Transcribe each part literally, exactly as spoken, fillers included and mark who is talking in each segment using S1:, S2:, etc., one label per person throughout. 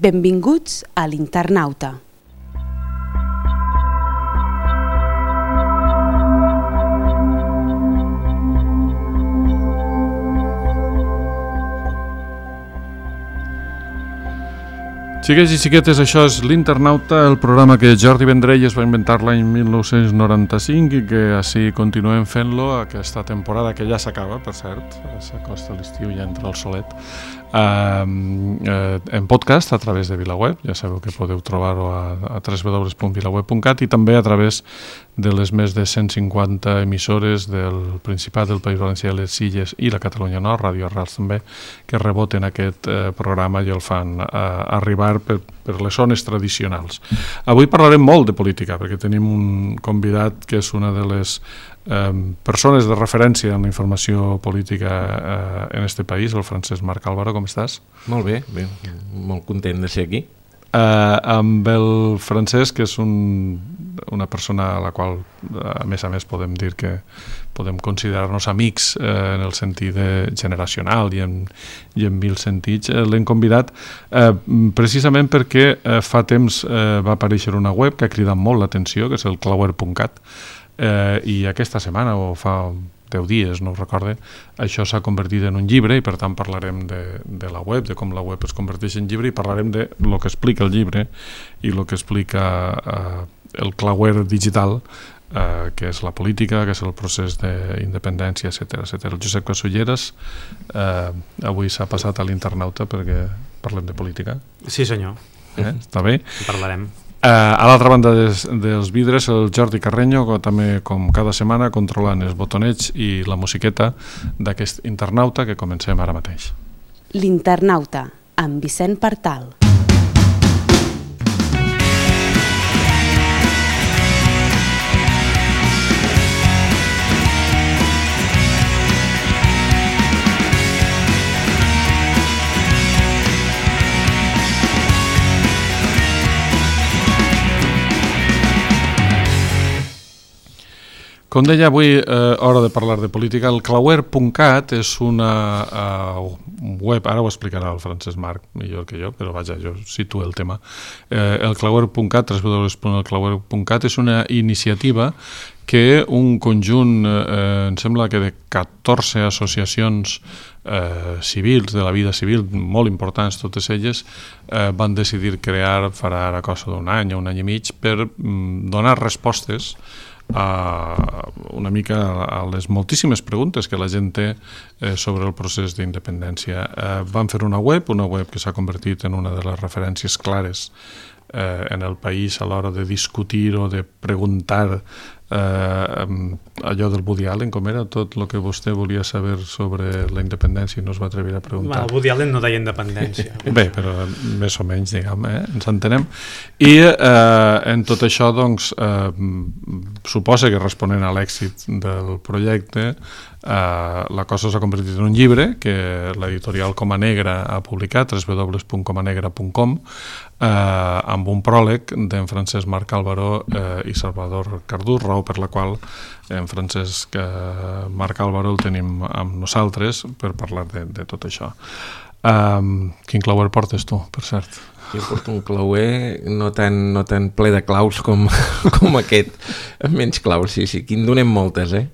S1: Benvinguts a l'Internauta.
S2: Xiquets i xiquetes, això és l'Internauta, el programa que Jordi Vendrell es va inventar l'any mil nou-cents noranta-cinc i que així continuem fent-lo aquesta temporada, que ja s'acaba, per cert, s'acosta l'estiu i ja entra el solet, eh, eh, en podcast a través de VilaWeb. Ja sabeu que podeu trobar-ho a, a w w w punt vilaweb punt cat i també a través de les més de cent cinquanta emissores del Principat, del País Valencià, les Illes i la Catalunya Nord, Ràdio Arrels també, que reboten aquest eh, programa i el fan eh, arribar per, per les zones tradicionals. Avui parlarem molt de política, perquè tenim un convidat que és una de les eh, persones de referència en la informació política eh, en este país, el Francesc Marc Álvaro. Com estàs?
S3: Molt bé, bé, molt content de ser aquí.
S2: Uh, amb el Francesc, que és un, una persona a la qual, a més a més, podem dir que podem considerar-nos amics eh, en el sentit de generacional i en, i en mil sentits. Eh, l'hem convidat eh, precisament perquè eh, fa temps eh, va aparèixer una web que ha cridat molt l'atenció, que és el clauer punt cat, eh, i aquesta setmana, o fa deu dies, no ho recorde, això s'ha convertit en un llibre i per tant parlarem de, de la web, de com la web es converteix en llibre i parlarem de lo que explica el llibre i el que explica eh, el clauer digital, eh, que és la política, que és el procés d'independència, etcètera, etcètera. El Josep Casulleras eh, avui s'ha passat a l'Internauta perquè parlem de política.
S4: Sí, senyor.
S2: Eh? Està bé?
S4: En parlarem.
S2: Uh, a l'altra banda des, dels vidres, el Jordi Carreño, que també com cada setmana controlant els botonets i la musiqueta d'aquest Internauta que comencem ara mateix.
S1: L'Internauta, amb Vicent Partal.
S2: Com deia, avui, eh, hora de parlar de política. El clauer punt cat és una uh, web, ara ho explicarà el Francesc Marc millor que jo, però vaja, jo situo el tema. Eh, el clauer punt cat, w w w punt el clauer punt cat, és una iniciativa que un conjunt, eh, em sembla que de catorze associacions eh, civils, de la vida civil, molt importants totes elles, eh, van decidir crear, farà ara cosa d'un any o un any i mig, per mm, donar respostes a una mica a les moltíssimes preguntes que la gent té eh, sobre el procés d'independència. Eh, van fer una web, una web que s'ha convertit en una de les referències clares eh, en el país a l'hora de discutir o de preguntar eh, allò del Woody Allen, com era tot el que vostè volia saber sobre la independència i no es va atrevir a preguntar.
S4: Bueno, el Woody Allen no deia independència.
S2: Bé, però més o menys, diguem, eh? Ens entenem. I eh, en tot això, doncs, eh, suposa que responent a l'èxit del projecte, eh, la cosa s'ha convertit en un llibre que l'editorial Coma Negra ha publicat, w w w punt coma negra punt com, eh, amb un pròleg d'en Francesc Marc Álvaro eh, i Salvador Cardús, raó per la qual en Francesc eh, Marc Álvaro el tenim amb nosaltres per parlar de, de tot això. Um, quin clauer portes tu, per cert?
S3: Jo porto un clauer no tan, no tan ple de claus com, com aquest, amb menys claus, sí, sí, aquí en donem moltes, eh?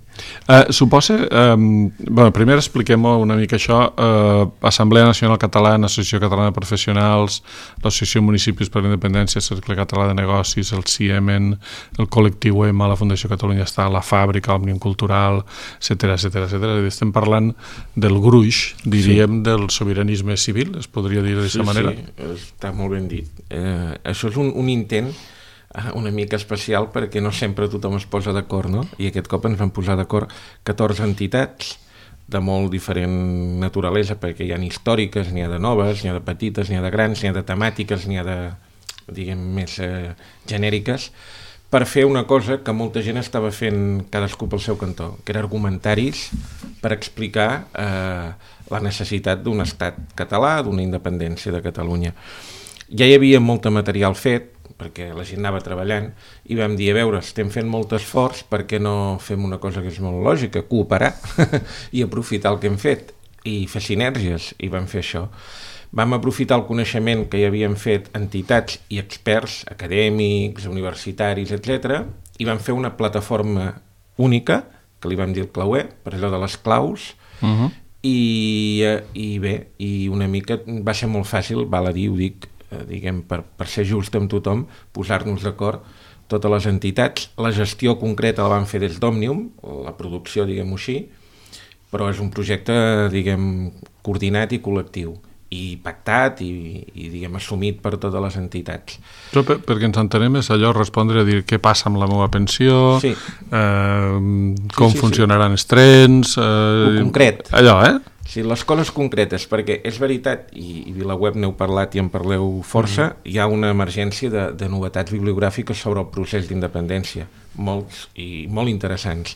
S2: Uh, suposa, um, bueno, primer expliquem una mica això, uh, Assemblea Nacional Catalana, Associació Catalana de Professionals, l'Associació Municipis per la Independència, Cercle Català de Negocis, el CIEMEN, el Col·lectiu EMA, la Fundació Catalunya Està, la Fàbrica, l'Òmnium Cultural, etcètera, etcètera, etcètera. Estem parlant del gruix, diríem, sí, del sobiranisme civil, es podria dir d'aquesta
S3: sí,
S2: manera?
S3: Sí, està molt ben dit. Eh, això és un, un intent una mica especial perquè no sempre tothom es posa d'acord, no? I aquest cop ens van posar d'acord catorze entitats de molt diferent naturalesa, perquè hi ha històriques, n'hi ha de noves, n'hi ha de petites, n'hi ha de grans, n'hi ha de temàtiques, n'hi ha de, diguem, més eh, genèriques, per fer una cosa que molta gent estava fent cadascú pel seu cantó, que era argumentaris per explicar eh, la necessitat d'un estat català, d'una independència de Catalunya. Ja hi havia molt material fet, perquè la gent anava treballant, i vam dir, a veure, estem fent molt esforç, per què no fem una cosa que és molt lògica, cooperar i aprofitar el que hem fet, i fer sinergies, i vam fer això. vam aprofitar el coneixement que hi havien fet entitats i experts acadèmics, universitaris, etcètera, i vam fer una plataforma única, que li vam dir el Clauer, per allò de les claus, uh-huh. i, i bé, i una mica va ser molt fàcil, val a dir, ho dic, eh, diguem, per, per ser just amb tothom, posar-nos d'acord totes les entitats. La gestió concreta la van fer des d'Òmnium, la producció, diguem-ho així, però és un projecte, diguem, coordinat i col·lectiu, i pactat i, i diguem, assumit per totes les entitats.
S2: Però per, perquè ens entenem és allò respondre a dir què passa amb la meva pensió, sí. eh, com sí, sí, funcionaran sí. els trens... Eh,
S3: el concret.
S2: Allò, eh?
S3: Sí, les coses concretes, perquè és veritat, i, i VilaWeb n'heu parlat i en parleu força, mm-hmm. hi ha una emergència de, de novetats bibliogràfiques sobre el procés d'independència, molts i molt interessants.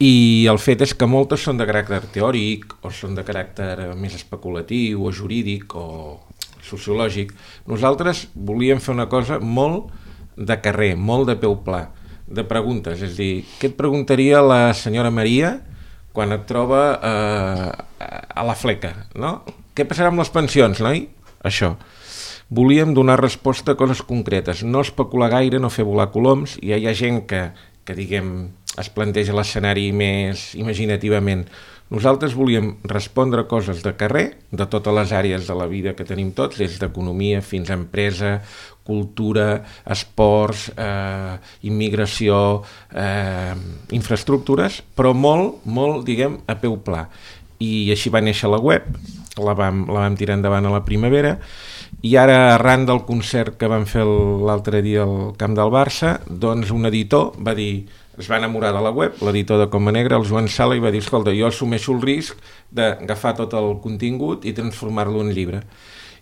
S3: I el fet és que moltes són de caràcter teòric o són de caràcter més especulatiu o jurídic o sociològic. Nosaltres volíem fer una cosa molt de carrer, molt de peu pla, de preguntes. És a dir, què et preguntaria la senyora Maria quan et troba eh, a la fleca, no? Què passarà amb les pensions, noi? Això. Volíem donar resposta a coses concretes, no especular gaire, no fer volar coloms, i hi ha gent que, que diguem... es planteja l'escenari més imaginativament. Nosaltres volíem respondre coses de carrer, de totes les àrees de la vida que tenim tots, des d'economia fins a empresa, cultura, esports, eh, immigració, eh, infraestructures, però molt, molt, diguem, a peu pla. I així va néixer la web, la vam, la vam tirar endavant a la primavera, i ara, arran del concert que vam fer l'altre dia al camp del Barça, doncs un editor va dir... es va enamorar de la web, l'editor de Coma Negra, el Joan Sala, i va dir, escolta, jo assumeixo el risc d'agafar tot el contingut i transformar-lo en llibre.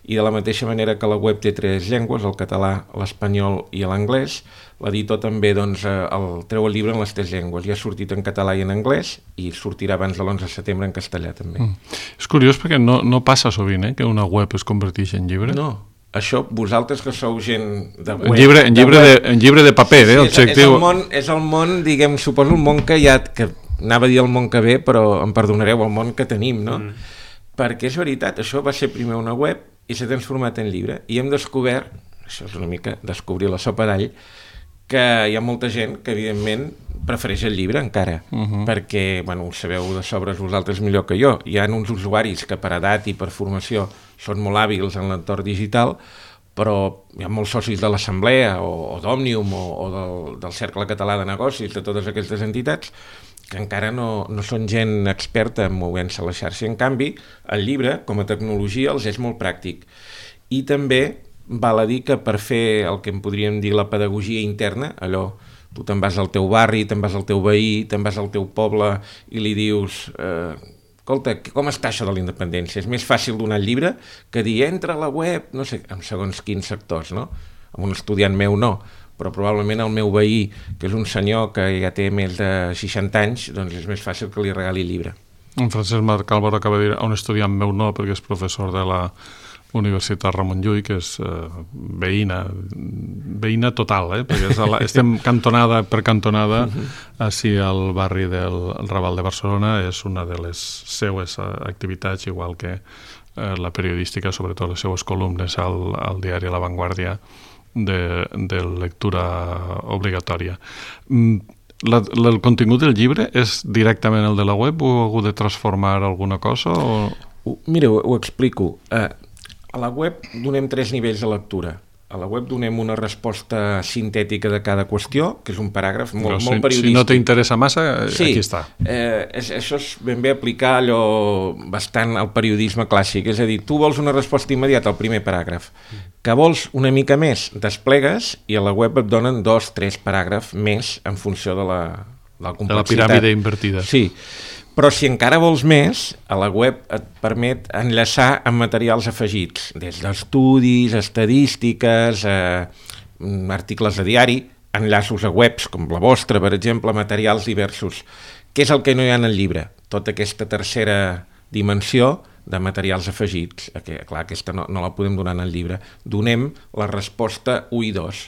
S3: I de la mateixa manera que la web té tres llengües, el català, l'espanyol i l'anglès, l'editor també doncs, el, treu el llibre en les tres llengües. Ja ha sortit en català i en anglès i sortirà abans de l'onze de setembre en castellà també. Mm.
S2: És curiós perquè no, no passa sovint eh, que una web es converteixi en llibre.
S3: No. Això, vosaltres que sou gent de web...
S2: En llibre, en llibre, de, de, en llibre de paper, eh?
S3: Sí, és, és, el món, és el món, diguem, suposo el món que hi ha, que anava a dir el món que ve, però em perdonareu, el món que tenim, no? Mm. Perquè és veritat, això va ser primer una web i s'ha transformat en llibre. I hem descobert, això és una mica descobrir la sopa d'all, que hi ha molta gent que, evidentment, prefereix el llibre encara, uh-huh. perquè, bueno, ho sabeu de sobres vosaltres millor que jo. Hi ha uns usuaris que per edat i per formació són molt hàbils en l'entorn digital, però hi ha molts socis de l'Assemblea o, o d'Òmnium o, o del, del Cercle Català de Negocis, de totes aquestes entitats, que encara no, no són gent experta en movent-se a la xarxa. En canvi, el llibre, com a tecnologia, els és molt pràctic. I també val a dir que per fer el que en podríem dir la pedagogia interna, allò, tu te'n vas al teu barri, te'n vas al teu veí, te'n vas al teu poble i li dius... Eh, escolta, com està això de la independència? És més fàcil donar el llibre que dir, entra a la web, no sé, en segons quins sectors, no? Amb un estudiant meu no, però probablement el meu veí, que és un senyor que ja té més de seixanta anys, doncs és més fàcil que li regali el llibre.
S2: En Francesc Marc Álvaro acaba de dir a un estudiant meu no, perquè és professor de la Universitat Ramon Llull, que és eh, veïna, veïna total, eh? Perquè és la, estem cantonada per cantonada, així al barri del Raval de Barcelona, és una de les seues activitats, igual que eh, la periodística, sobretot les seues columnes al, al diari La Vanguardia, de, de lectura obligatòria. La, la, el contingut del llibre és directament el de la web o heu hagut de transformar alguna cosa? O...
S3: Mira, ho, ho explico. Uh, a la web donem tres nivells de lectura. A la web donem una resposta sintètica de cada qüestió, que és un paràgraf molt,
S2: si,
S3: molt periodístic.
S2: Si no t'interessa massa,
S3: sí,
S2: aquí està.
S3: Eh, és, això és ben bé aplicar allò bastant al periodisme clàssic. És a dir, tu vols una resposta immediata al primer paràgraf. Que vols una mica més, desplegues i a la web et donen dos, tres paràgrafs més en funció de la, de la complexitat.
S2: De la piràmide invertida.
S3: Sí. Però si encara vols més, a la web et permet enllaçar amb materials afegits, des d'estudis, estadístiques, eh, articles de diari, enllaços a webs com la vostra, per exemple, materials diversos. Què és el que no hi ha en el llibre? Tota aquesta tercera dimensió de materials afegits. Que, clar, aquesta no, no la podem donar en el llibre. Donem la resposta u i dos,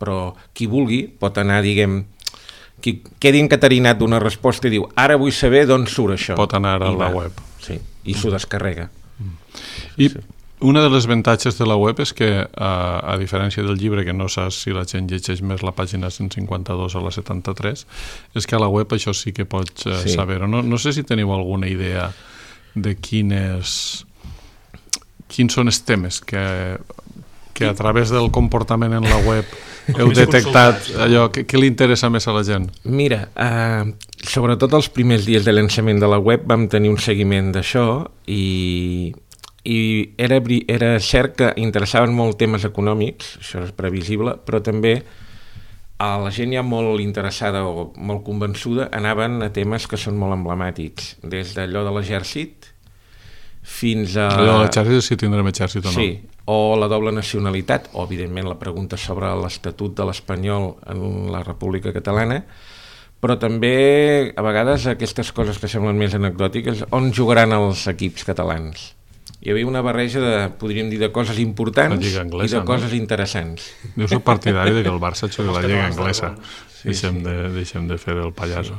S3: però qui vulgui pot anar, diguem, qui quedi encaterinat d'una resposta i diu ara vull saber d'on surt això.
S2: Pot anar a
S3: I
S2: la
S3: va.
S2: web.
S3: Sí, i s'ho descarrega.
S2: Mm. I
S3: sí.
S2: una de les avantatges de la web és que, a, a diferència del llibre, que no saps si la gent llegeix més la pàgina cent cinquanta-dos o la setanta-tres, és que a la web això sí que pots uh, sí. saber-ho. No, no sé si teniu alguna idea de quines, quins són els temes que, que a través del comportament en la web heu detectat, allò que, que li interessa més a la gent.
S3: Mira, eh, sobretot els primers dies de llançament de la web vam tenir un seguiment d'això i... i era, era cert que interessaven molt temes econòmics, això és previsible, però també a la gent ja molt interessada o molt convençuda anaven a temes que són molt emblemàtics, des d'allò de l'exèrcit fins a...
S2: Allò de l'exèrcit, si tindrem exèrcit o no.
S3: Sí, o la doble nacionalitat, o evidentment la pregunta sobre l'estatut de l'espanyol en la República Catalana, però també a vegades aquestes coses que semblen més anecdòtiques, on jugaran els equips catalans? Hi havia una barreja de, podríem dir, de coses importants anglesa, i de coses no? interessants.
S2: Jo soc partidari de que el Barça jugui la Lliga Anglesa. Sí, deixem, sí. De, deixem de fer el pallasso.
S3: Sí.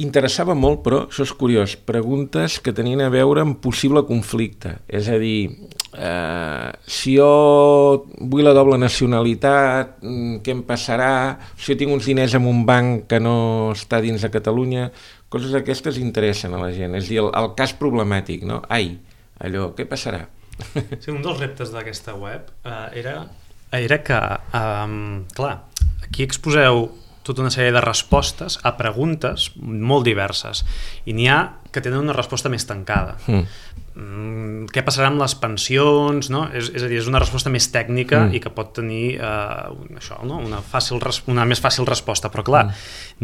S3: Interessava molt, però, això és curiós, preguntes que tenien a veure amb possible conflicte. És a dir, eh, si jo vull la doble nacionalitat, què em passarà? Si jo tinc uns diners en un banc que no està dins de Catalunya, coses aquestes interessen a la gent. És a dir, el, el cas problemàtic, no? Ai, allò, què passarà?
S4: Sí, un dels reptes d'aquesta web eh, era, era que, eh, clar, aquí exposeu tota una sèrie de respostes a preguntes molt diverses i n'hi ha que tenen una resposta més tancada. Mm. Mm, què passarà amb les pensions? No? És, és a dir, és una resposta més tècnica mm. i que pot tenir eh, això, no? una, fàcil, una més fàcil resposta, però clar, mm.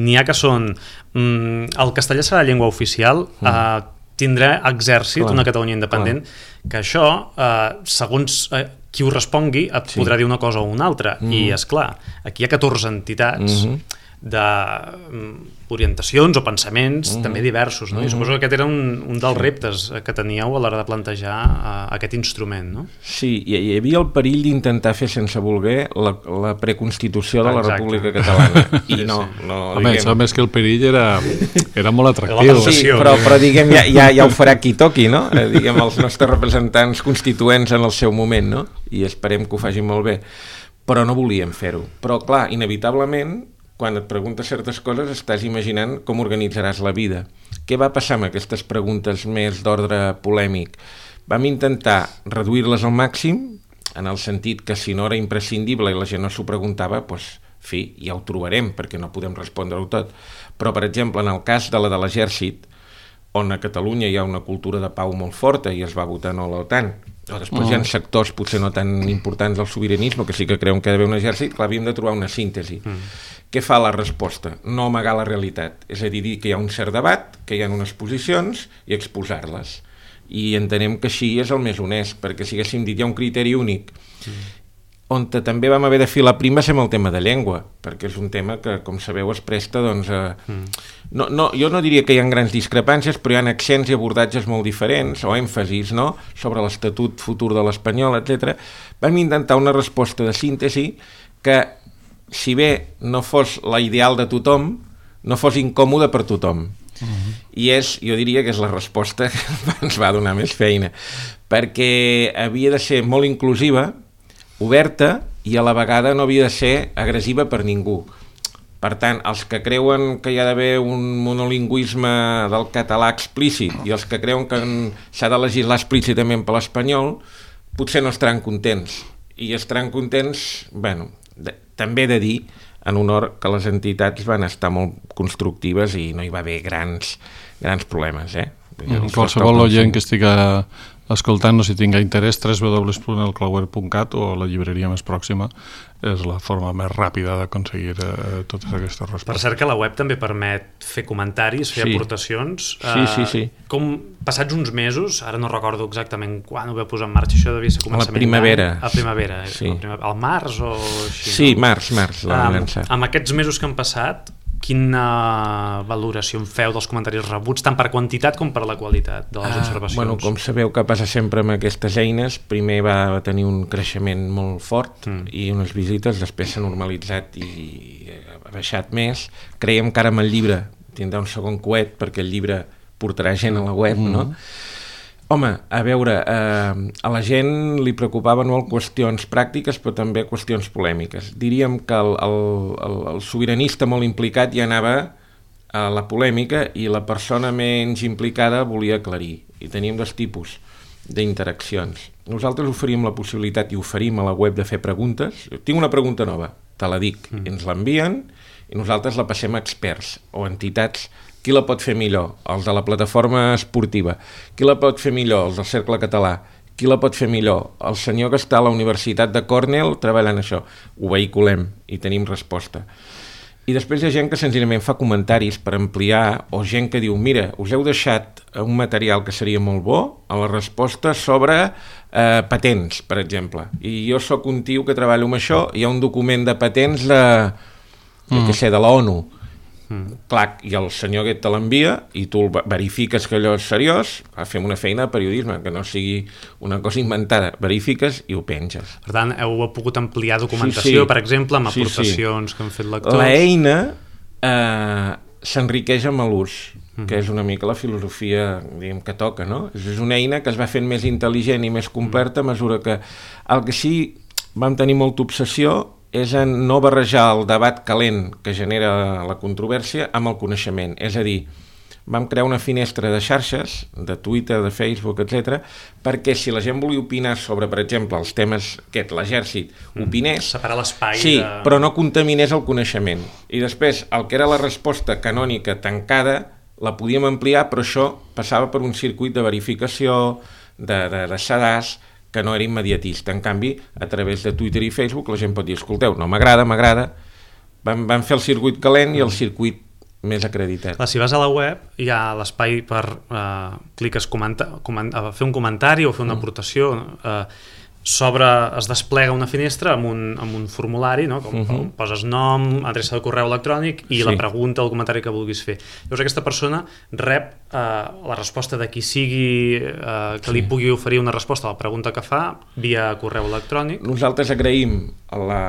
S4: n'hi ha que són mm, el castellà serà la llengua oficial, mm. eh, tindrà exèrcit, clar, una Catalunya independent, clar. Que això, eh, segons eh, qui ho respongui, et sí. podrà dir una cosa o una altra. Mm. I, esclar, aquí hi ha catorze entitats mm-hmm. d'orientacions o pensaments mm-hmm. també diversos. No? Mm-hmm. I suposo que aquest era un, un dels reptes que teníeu a l'hora de plantejar uh, aquest instrument. No?
S3: Sí, hi, hi havia el perill d'intentar fer sense voler la, la preconstitució de la Exacte. República Catalana. I no, sí. no
S2: Home, diguem... a més que el perill era, era molt atractiu.
S3: Sí, però, però diguem, ja, ja, ja ho farà qui toqui, no? Eh, diguem, els nostres representants constituents en el seu moment, no? I esperem que ho facin molt bé. Però no volíem fer-ho. Però, clar, inevitablement, quan et preguntes certes coses estàs imaginant com organitzaràs la vida. Què va passar amb aquestes preguntes més d'ordre polèmic? Vam intentar reduir-les al màxim, en el sentit que si no era imprescindible i la gent no s'ho preguntava, doncs, fi, ja ho trobarem, perquè no podem respondre-ho tot. Però, per exemple, en el cas de la de l'exèrcit, on a Catalunya hi ha una cultura de pau molt forta i es va votar no a l'OTAN, o després oh. hi ha sectors potser no tan importants del sobiranisme que sí que creuen que ha d'haver un exèrcit, clar, havíem de trobar una síntesi. Mm. Què fa la resposta? No amagar la realitat, és a dir, dir que hi ha un cert debat, que hi ha unes posicions i exposar-les. I entenem que així és el més honest, perquè si haguéssim dit hi ha un criteri únic, mm. on també vam haver de filar primes amb el tema de llengua, perquè és un tema que, com sabeu, es presta, doncs, a... Mm. No, no, jo no diria que hi ha grans discrepàncies, però hi ha accents i abordatges molt diferents, o èmfasis, no?, sobre l'estatut futur de l'espanyol, etcètera. Vam intentar una resposta de síntesi que, si bé no fos la ideal de tothom, no fos incòmode per tothom. Uh-huh. I és, jo diria que és la resposta que ens va donar més feina, perquè havia de ser molt inclusiva, oberta, i a la vegada no havia de ser agressiva per ningú. Per tant, els que creuen que hi ha d'haver un monolingüisme del català explícit i els que creuen que s'ha de legislar explícitament per l'espanyol, potser no estaran contents. I estaran contents, bueno, de, també he de dir, en honor, que les entitats van estar molt constructives i no hi va haver grans, grans problemes, eh?
S2: Mm, qualsevol oient que estigui escoltant-nos i tinga interès, w w w punt el clauer punt cat o la llibreria més pròxima és la forma més ràpida d'aconseguir eh, totes aquestes respostes.
S4: Per cert que la web també permet fer comentaris, fer sí. aportacions.
S3: Sí, eh, sí, sí.
S4: Com passats uns mesos, ara no recordo exactament quan ho va posar en marxa, això devia ser començament...
S3: A la primavera.
S4: A primavera,
S3: sí.
S4: al març o així,
S3: sí,
S4: no?
S3: març, març.
S4: Um, amb aquests mesos que han passat, quina valoració en feu dels comentaris rebuts, tant per quantitat com per la qualitat de les ah, observacions?
S3: Bueno, com sabeu que passa sempre amb aquestes eines, primer va tenir un creixement molt fort mm. i unes visites, després s'ha normalitzat i ha baixat més. Creiem que ara amb el llibre tindrà un segon coet perquè el llibre portarà gent a la web, mm. no? Home, a veure, eh, a la gent li preocupaven molt qüestions pràctiques, però també qüestions polèmiques. Diríem que el, el, el, el sobiranista molt implicat ja anava a la polèmica i la persona menys implicada volia aclarir. I teníem dos tipus d'interaccions. Nosaltres oferim la possibilitat i oferim a la web de fer preguntes. Tinc una pregunta nova, te la dic. Mm. Ens l'envien i nosaltres la passem a experts o entitats. Qui la pot fer millor? Els de la plataforma esportiva. Qui la pot fer millor? Els del Cercle Català. Qui la pot fer millor? El senyor que està a la Universitat de Cornell treballant això. Ho vehiculem i tenim resposta. I després hi ha gent que senzillament fa comentaris per ampliar, o gent que diu, mira, us heu deixat un material que seria molt bo a la resposta sobre eh, patents, per exemple. I jo sóc un tio que treballo amb això, hi ha un document de patents de, mm. que sé, de la ONU. Mm. Clar, i el senyor aquest te l'envia i tu verifiques que allò és seriós, fem una feina de periodisme, que no sigui una cosa inventada, verifiques i ho penges.
S4: Per tant, heu pogut ampliar documentació, sí, sí. per exemple, amb aportacions sí, sí. que han fet lectors.
S3: L'eina eh, s'enriqueix amb l'ús, mm. que és una mica la filosofia, diguem, que toca, no? És una eina que es va fent més intel·ligent i més completa a mesura que... El que sí vam tenir molta obsessió és en no barrejar el debat calent que genera la controvèrsia amb el coneixement. És a dir, vam crear una finestra de xarxes, de Twitter, de Facebook, etcètera, perquè si la gent volia opinar sobre, per exemple, els temes aquest, l'exèrcit, mm. opinés...
S4: Separar l'espai
S3: sí,
S4: de...
S3: però no contaminés el coneixement. I després, el que era la resposta canònica tancada, la podíem ampliar, però això passava per un circuit de verificació, de, de, de sedàs, que no era immediatista. En canvi, a través de Twitter i Facebook la gent pot dir, escolteu, no m'agrada, m'agrada. Vam, vam fer el circuit calent i el circuit més acreditat.
S4: Clar, si vas a la web hi ha l'espai per uh, cliques comenta, coment, uh, fer un comentari o fer una mm. aportació, uh, sobre, es desplega una finestra amb un, amb un formulari, no? Com, uh-huh. poses nom, adreça de correu electrònic i sí. la pregunta o el comentari que vulguis fer. Llavors aquesta persona rep eh, la resposta de qui sigui eh, que sí. li pugui oferir una resposta a la pregunta que fa via correu electrònic.
S3: Nosaltres agraïm la,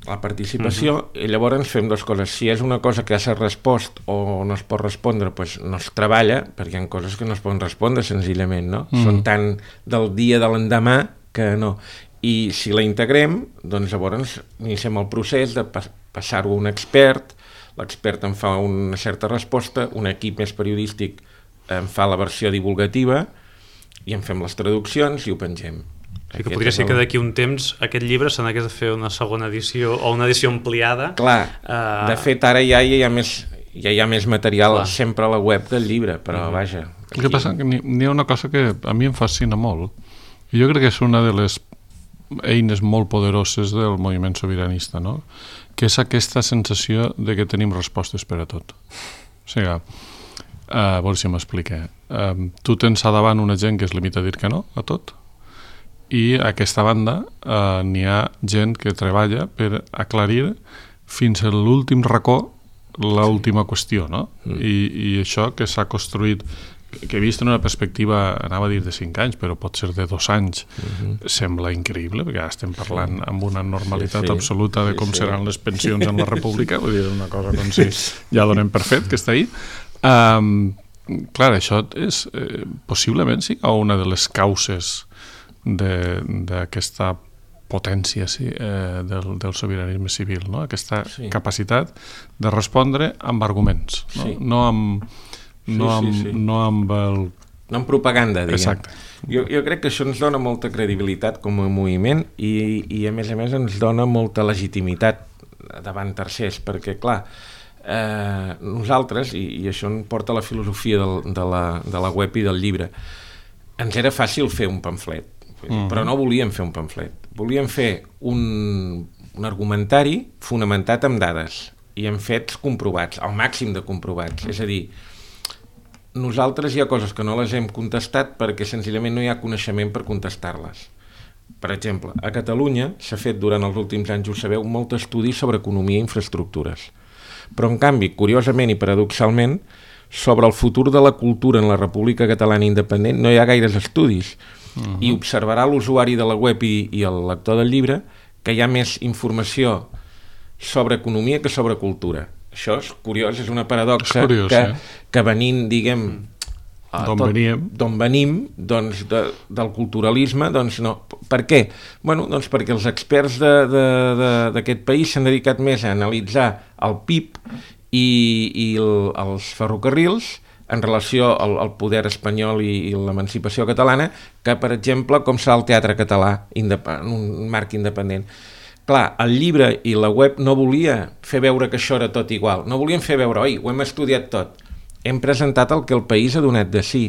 S3: la participació uh-huh. i llavors fem dues coses. Si és una cosa que ja s'ha respost o no es pot respondre, doncs no es treballa, perquè hi ha coses que no es poden respondre senzillament, no? Uh-huh. Són tant del dia de l'endemà que no. I si la integrem, doncs llavors iniciem el procés de pas- passar-ho a un expert, l'expert en fa una certa resposta, un equip més periodístic en fa la versió divulgativa i en fem les traduccions i ho pengem.
S4: Sí, que podria ser el... que d'aquí un temps aquest llibre se n'hagués de fer una segona edició o una edició ampliada.
S3: Clar, uh... de fet ara ja hi ha més, ja hi ha més material Clar. sempre a la web del llibre, però mm. vaja.
S2: Aquí... El que passa que n'hi ha una cosa que a mi em fascina molt. Jo crec que és una de les eines molt poderoses del moviment sobiranista, no? Que és aquesta sensació de que tenim respostes per a tot. O sigui, uh, a veure si m'explique. Uh, tu tens a davant una gent que es limita a dir que no a tot i a aquesta banda uh, n'hi ha gent que treballa per aclarir fins a l'últim racó l'última qüestió, no? Mm. I, i això que s'ha construït, que he vist en una perspectiva, anava a dir de cinc anys, però pot ser de dos anys, uh-huh. sembla increïble, perquè ja estem parlant amb una normalitat sí, sí. absoluta de com sí, sí. seran les pensions en la república, vull dir, una cosa com si ja donem per fet que està ahí. Um, clar, això és, eh, possiblement sí, una de les causes d'aquesta potència sí, eh, del, del sobiranisme civil, no? Aquesta sí. capacitat de respondre amb arguments, no, sí. no amb No, sí, amb, sí, sí. no amb el...
S3: No amb propaganda, diguem.
S2: Exacte.
S3: Jo, jo crec que això ens dona molta credibilitat com a moviment i, i a més a més ens dona molta legitimitat davant tercers, perquè clar, eh, nosaltres, i, i això em porta a la filosofia del, de, la, de la web i del llibre, ens era fàcil fer un pamflet, mm-hmm. però no volíem fer un pamflet. Volíem fer un, un argumentari fonamentat en dades i en fets comprovats, al màxim de comprovats. És a dir, nosaltres hi ha coses que no les hem contestat perquè senzillament no hi ha coneixement per contestar-les. Per exemple, a Catalunya s'ha fet durant els últims anys, ho sabeu, molt estudi sobre economia i infraestructures. Però en canvi, curiosament i paradoxalment, sobre el futur de la cultura en la República Catalana Independent no hi ha gaires estudis. Uh-huh. I observarà l'usuari de la web i, i el lector del llibre que hi ha més informació sobre economia que sobre cultura. Això és curiós, és una paradoxa és curiós, que, eh? que venint, diguem,
S2: D'on veníem.
S3: D'on venim, doncs, de, del culturalisme, doncs no. Per què? Bueno, doncs perquè els experts d'aquest país s'han dedicat més a analitzar el P I B i, i el, els ferrocarrils en relació al, al poder espanyol i, i l'emancipació catalana, que, per exemple, com serà el teatre català en un marc independent. Clar, el llibre i la web no volia fer veure que això era tot igual. No volien fer veure, oi, ho hem estudiat tot. Hem presentat el que el país ha donat de si.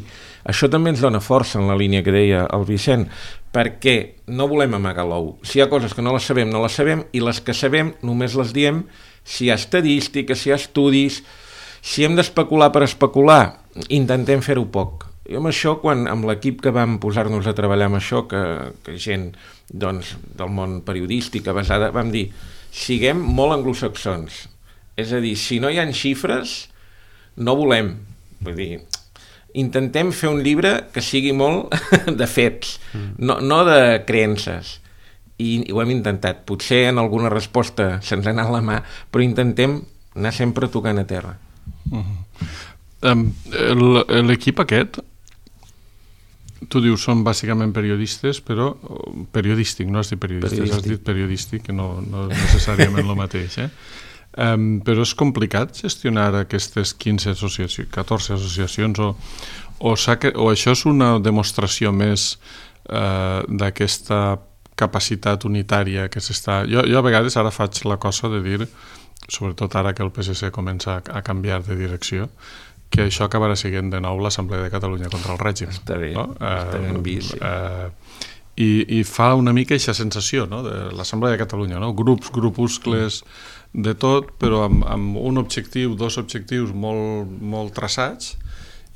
S3: Això també ens dona força en la línia que deia el Vicent, perquè no volem amagar l'ou. Si hi ha coses que no les sabem, no les sabem, i les que sabem només les diem si hi ha estadístiques, si hi ha estudis, si hem d'especular per especular, intentem fer-ho poc. I amb això, quan amb l'equip que vam posar-nos a treballar amb això, que, que gent doncs, del món periodístic basada, vam dir, siguem molt anglosaxons. És a dir, si no hi ha xifres, no volem. Vull dir, intentem fer un llibre que sigui molt de fets, mm. no, no de creences. I, I ho hem intentat. Potser en alguna resposta se'ns ha anat la mà, però intentem anar sempre tocant a terra.
S2: Mm-hmm. um, L'equip aquest, tu dius, són bàsicament periodistes, però periodístic, no has dit periodistes, periodístic. Has dit periodístic, que no, no és necessàriament el mateix, eh? Um, però és complicat gestionar aquestes quinze associacions, catorze associacions, o, o, o això és una demostració més uh, d'aquesta capacitat unitària que s'està... Jo, jo a vegades ara faig la cosa de dir, sobretot ara que el P S C comença a, a canviar de direcció, que això acabarà sent de nou l'Assemblea de Catalunya contra el règim.
S3: Està bé,
S2: no?
S3: està ben vist. Sí.
S2: Uh, i, I fa una mica aquesta sensació, no? De l'Assemblea de Catalunya, no? Grups, grupuscles... de tot, però amb, amb un objectiu, dos objectius molt, molt traçats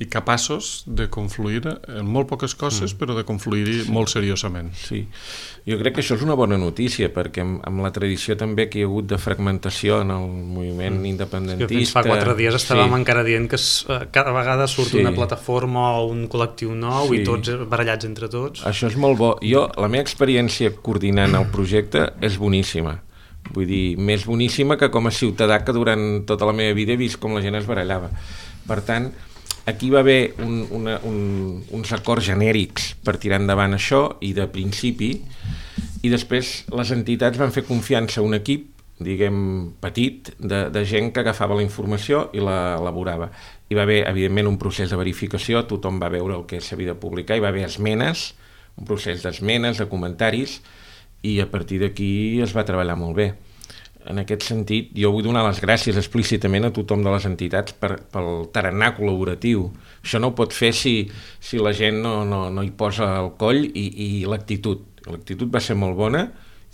S2: i capaços de confluir en molt poques coses, mm. però de confluir-hi sí. molt seriosament.
S3: Sí, jo crec que això és una bona notícia, perquè amb, amb la tradició també que hi ha hagut de fragmentació en el moviment mm. independentista...
S4: Sí, fins fa quatre dies estàvem sí. encara dient que cada vegada surt sí. una plataforma o un col·lectiu nou sí. i tots barallats entre tots.
S3: Això és molt bo. Jo, la meva experiència coordinant el projecte és boníssima. Vull dir, més boníssima que com a ciutadà que durant tota la meva vida he vist com la gent es barallava. Per tant, aquí va haver un, una, un, uns acords genèrics per tirar endavant això i de principi, i després les entitats van fer confiança a un equip, diguem, petit, de, de gent que agafava la informació i la elaborava. Hi va haver, evidentment, un procés de verificació, tothom va veure el que s'havia de publicar, hi va haver esmenes, un procés d'esmenes, de comentaris, i a partir d'aquí es va treballar molt bé. En aquest sentit, jo vull donar les gràcies explícitament a tothom de les entitats per, pel tarannà col·laboratiu. Això no ho pot fer si, si la gent no, no, no hi posa el coll i, i l'actitud. L'actitud va ser molt bona,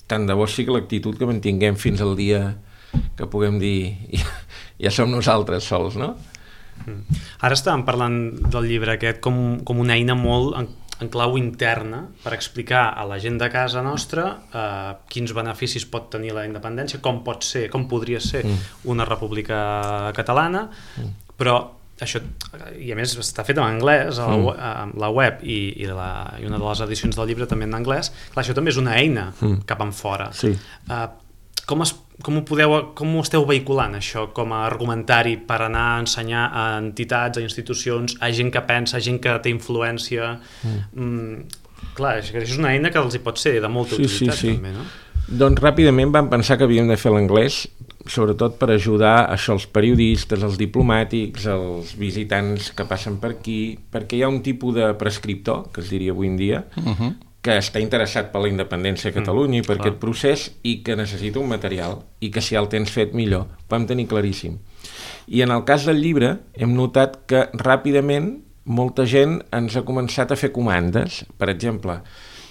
S3: tant de bo sigui l'actitud que mantinguem fins al dia que puguem dir ja, ja som nosaltres sols, no?
S4: Ara estàvem parlant del llibre aquest com, com una eina molt... En... en clau interna per explicar a la gent de casa nostra eh, quins beneficis pot tenir la independència, com pot ser, com podria ser mm. una república catalana, mm. però això, i a més està fet en anglès, a la, mm. a la web i, i, la, i una de les edicions del llibre també en anglès, clar, això també és una eina mm. cap en fora.
S3: Sí.
S4: Eh, com, es, com, ho podeu, com ho esteu vehiculant això com a argumentari per anar a ensenyar a entitats, a institucions, a gent que pensa, a gent que té influència? Mm. Mm, clar, això és una eina que els hi pot ser de molta
S3: sí,
S4: utilitat
S3: sí, sí.
S4: també, no?
S3: Doncs ràpidament vam pensar que havíem de fer l'anglès, sobretot per ajudar això els periodistes, els diplomàtics, els visitants que passen per aquí, perquè hi ha un tipus de prescriptor, que es diria avui en dia, uh-huh. que està interessat per la independència a Catalunya mm, i per clar. Aquest procés i que necessita un material i que si el tens fet millor, ho vam tenir claríssim. I en el cas del llibre hem notat que ràpidament molta gent ens ha començat a fer comandes, per exemple,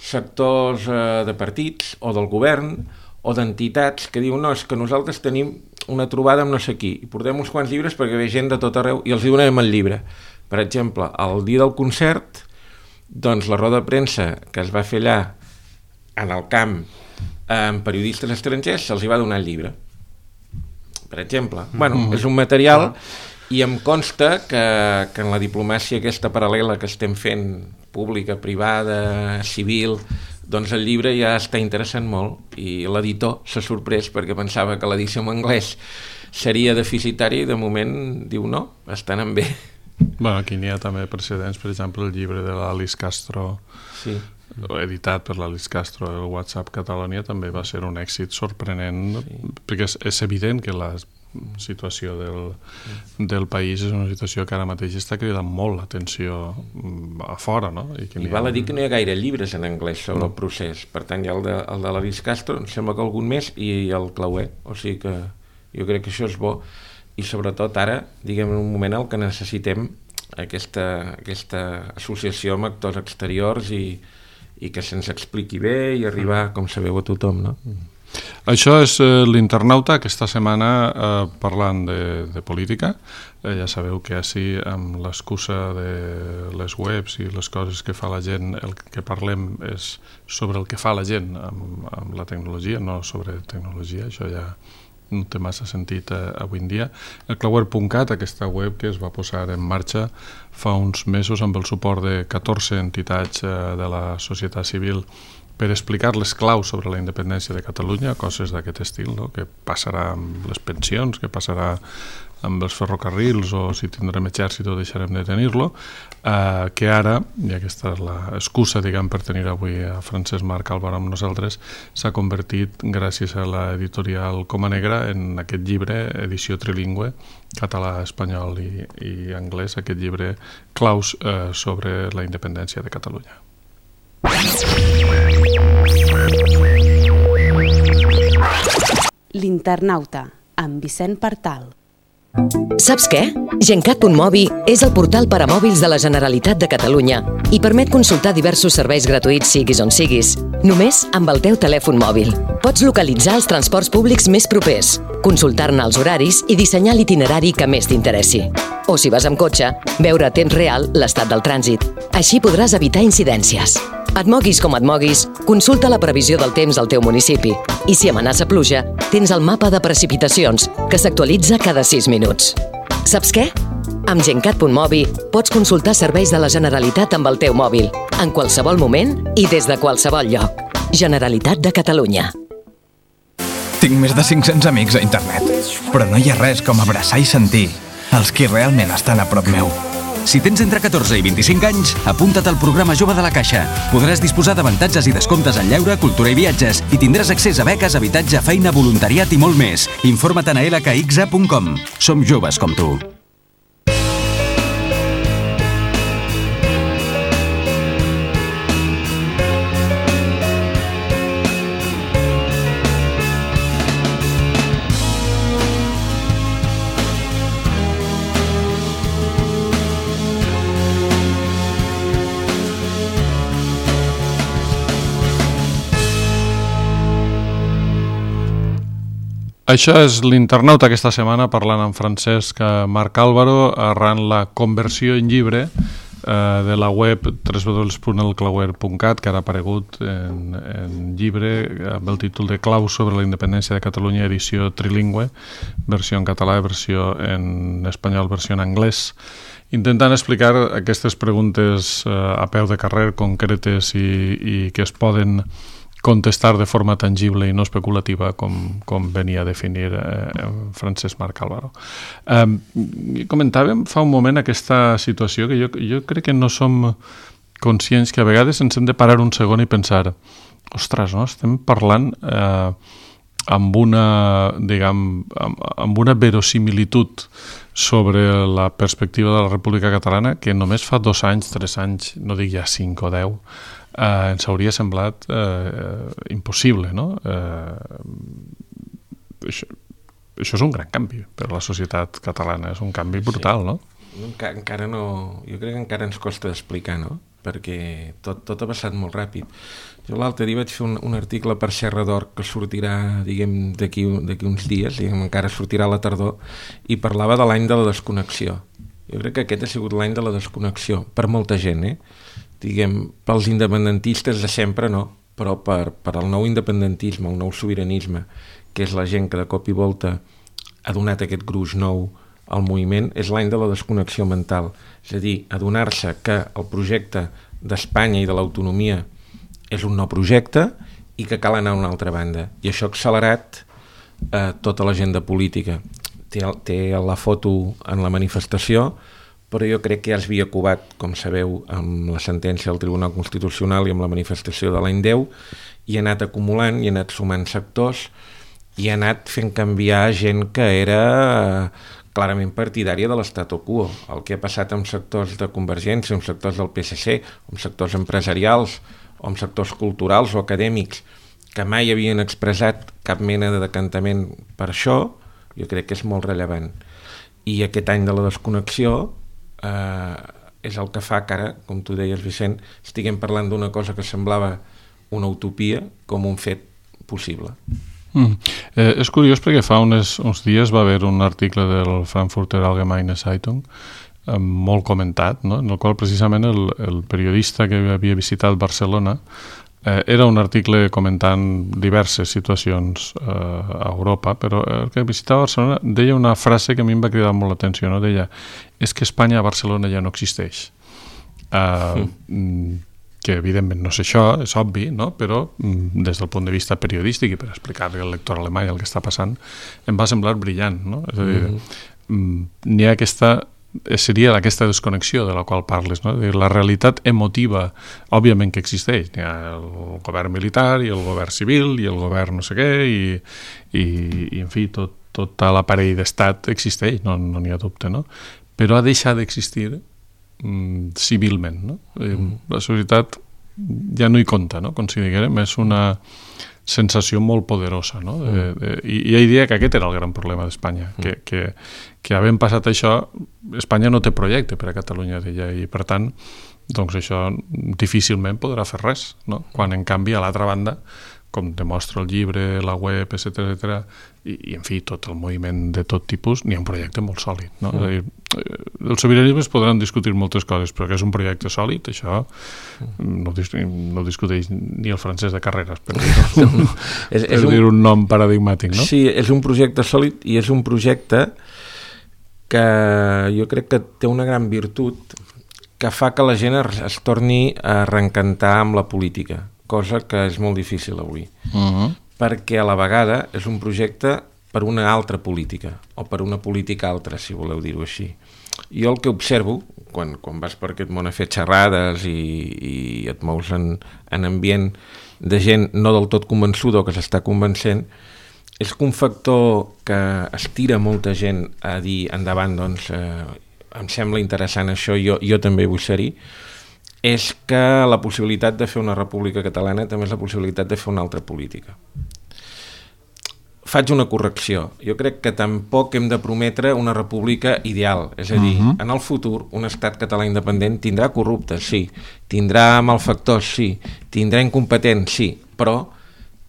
S3: sectors eh, de partits o del govern o d'entitats que diuen no, és que nosaltres tenim una trobada amb no sé qui i portem uns quants llibres perquè ve gent de tot arreu i els hi donem el llibre. Per exemple, el dia del concert, doncs la roda de premsa que es va fer allà en el camp amb periodistes estrangers se'ls hi va donar el llibre, per exemple. Mm-hmm. Bueno, és un material i em consta que, que en la diplomàcia aquesta paral·lela que estem fent, pública, privada, civil, doncs el llibre ja està interessant molt i l'editor s'ha sorprès perquè pensava que l'edició en anglès seria deficitària i de moment diu no, està anant bé.
S2: Bueno, aquí n'hi ha també precedents, per exemple, el llibre de l'Alice Castro, sí. editat per l'Alice Castro, el WhatsApp Catalonia, també va ser un èxit sorprenent, sí. perquè és, és evident que la situació del, del país és una situació que ara mateix està cridant molt l'atenció a fora, no? I, que
S3: I val a dir que no hi ha gaire llibres en anglès sobre no. el procés, per tant hi ha el de, el de l'Alice Castro, em sembla que algun més, i el Clauer, o sigui que jo crec que això és bo, i sobretot ara, diguem, en un moment en què necessitem aquesta, aquesta associació amb actors exteriors i, i que se'ns expliqui bé i arribar, com sabeu, a tothom, no?
S2: Això és eh, l'Internauta, aquesta setmana eh, parlant de, de política. Eh, ja sabeu que així, amb l'excusa de les webs i les coses que fa la gent, el que parlem és sobre el que fa la gent amb, amb la tecnologia, no sobre tecnologia, això ja no té massa sentit eh, avui en dia. El Clauer punt cat, aquesta web que es va posar en marxa fa uns mesos amb el suport de catorze entitats eh, de la societat civil per explicar les claus sobre la independència de Catalunya, coses d'aquest estil, no? Què passarà amb les pensions, què passarà amb els ferrocarrils o si tindrem exèrcit o deixarem de tenir-lo, eh, que ara, i aquesta és l'excusa diguem, per tenir avui a Francesc Marc Álvaro amb nosaltres, s'ha convertit, gràcies a l'editorial Coma Negra, en aquest llibre, edició trilingüe, català, espanyol i, i anglès, aquest llibre claus eh, sobre la independència de Catalunya.
S1: L'Internauta, amb Vicent Partal.
S5: Saps què? Gencat punt mobi és el portal per a mòbils de la Generalitat de Catalunya i permet consultar diversos serveis gratuïts siguis on siguis, només amb el teu telèfon mòbil. Pots localitzar els transports públics més propers, consultar-ne els horaris i dissenyar l'itinerari que més t'interessi. O si vas amb cotxe, veure a temps real l'estat del trànsit. Així podràs evitar incidències. Et moguis com et moguis, consulta la previsió del temps al teu municipi. I si amenaça pluja, tens el mapa de precipitacions, que s'actualitza cada sis minuts. Saps què? Amb Gencat punt mobi pots consultar serveis de la Generalitat amb el teu mòbil, en qualsevol moment i des de qualsevol lloc. Generalitat de Catalunya.
S6: Tinc més de cinc-cents amics a internet, però no hi ha res com abraçar i sentir els qui realment estan a prop meu.
S7: Si tens entre catorze i vint-i-cinc anys, apunta't al programa Jove de la Caixa. Podràs disposar d'avantatges i descomptes en lleure, cultura i viatges i tindràs accés a beques, habitatge, feina, voluntariat i molt més. Informa't a l k x a punt com. Som joves com tu.
S2: Això és l'Internauta aquesta setmana, parlant amb Francesc Marc Álvaro, arran la conversió en llibre eh, de la web w w w punt el clauer punt cat, que ara ha aparegut en, en llibre amb el títol de Claus sobre la independència de Catalunya, edició trilingüe, versió en català, versió en espanyol, versió en anglès, intentant explicar aquestes preguntes eh, a peu de carrer, concretes i, i que es poden contestar de forma tangible i no especulativa, com, com venia a definir eh, Francesc Marc Álvaro. Eh, comentàvem fa un moment aquesta situació que jo, jo crec que no som conscients, que a vegades ens hem de parar un segon i pensar, ostres, no? Estem parlant eh, amb una, diguem, amb, amb una verosimilitud sobre la perspectiva de la República Catalana que només fa dos anys, tres anys, no dic ja cinc o deu, Uh, ens hauria semblat uh, impossible, no? Uh, això, això és un gran canvi per a la societat catalana, és un canvi brutal, sí. No?
S3: Enca encara no... Jo crec que encara ens costa d'explicar, no? Perquè tot, tot ha passat molt ràpid. Jo l'altre dia vaig fer un, un article per Serra d'Or que sortirà, diguem, d'aquí uns dies, diguem, encara sortirà a la tardor, i parlava de l'any de la desconnexió. Jo crec que aquest ha sigut l'any de la desconnexió, per molta gent, eh? Diguem, pels independentistes de sempre no, però per, per al nou independentisme, el nou sobiranisme, que és la gent que de cop i volta ha donat aquest gruix nou al moviment, és l'any de la desconnexió mental. És a dir, adonar-se que el projecte d'Espanya i de l'autonomia és un nou projecte i que cal anar a una altra banda. I això ha accelerat eh, tota l'agenda política. Té, té la foto en la manifestació, però jo crec que ja es havia covat, com sabeu, amb la sentència del Tribunal Constitucional i amb la manifestació de l'any deu, i ha anat acumulant, i ha anat sumant sectors, i ha anat fent canviar gent que era clarament partidària de l'statu quo. El que ha passat amb sectors de Convergència, amb sectors del P S C, amb sectors empresarials, o amb sectors culturals o acadèmics, que mai havien expressat cap mena de decantament per això, jo crec que és molt rellevant. I aquest any de la desconnexió eh, és el que fa que ara, com tu deies, Vicent, estiguem parlant d'una cosa que semblava una utopia com un fet possible.
S2: Mm. Eh, és curiós perquè fa unes, uns dies va haver un article del Frankfurter Allgemeine Zeitung eh, molt comentat, no? En el qual precisament el, el periodista que havia visitat Barcelona eh, era un article comentant diverses situacions eh, a Europa, però el que visitava Barcelona deia una frase que a mi em va cridar molt l'atenció, no? Deia, és que Espanya a Barcelona ja no existeix. Eh, mm. que evidentment no és això, és obvi, no? Però des del punt de vista periodístic i per explicar-li al lector alemany el que està passant, em va semblar brillant, no? És a dir, mm-hmm. n'hi ha aquesta, seria aquesta desconnexió de la qual parles, no? Dir, la realitat emotiva, òbviament que existeix, n'hi ha el govern militar i el govern civil i el govern no sé què i, i, i en fi, tot, tot l'aparell d'estat existeix, no n'hi no ha dubte, no? Però ha deixat d'existir civilment, no? Mm. La societat ja no hi compta, no? Com si diguem, és una sensació molt poderosa, no? De, de, i, i hi diria que aquest era el gran problema d'Espanya, mm. que, que, que havent passat això, Espanya no té projecte per a Catalunya, deia, i per tant, doncs això difícilment podrà fer res, no? Quan en canvi a l'altra banda, com demostra el llibre, la web, etcètera, etcètera, i, i en fi, tot el moviment de tot tipus, n'hi ha un projecte molt sòlid, no? Mm. És a dir, el sobiranisme es podran discutir moltes coses, però que és un projecte sòlid, això no, no discuteix ni el francès de carreres, per dir, no, és, per és dir un, un nom paradigmàtic, no?
S3: Sí, és un projecte sòlid i és un projecte que jo crec que té una gran virtut que fa que la gent es torni a reencantar amb la política, cosa que és molt difícil avui. Uh-huh. Perquè a la vegada és un projecte per una altra política, o per una política altra, si voleu dir-ho així. Jo el que observo, quan, quan vas per aquest món a fer xerrades i, i et mous en, en ambient de gent no del tot convençuda o que s'està convencent, és que un factor que estira molta gent a dir endavant, doncs, eh, em sembla interessant això, jo, jo també vull ser-hi, és que la possibilitat de fer una república catalana també és la possibilitat de fer una altra política. Faig una correcció. Jo crec que tampoc hem de prometre una república ideal. És a dir, uh-huh. en el futur, un estat català independent tindrà corruptes, sí. Tindrà malfactors, sí. Tindrà incompetents, sí. Però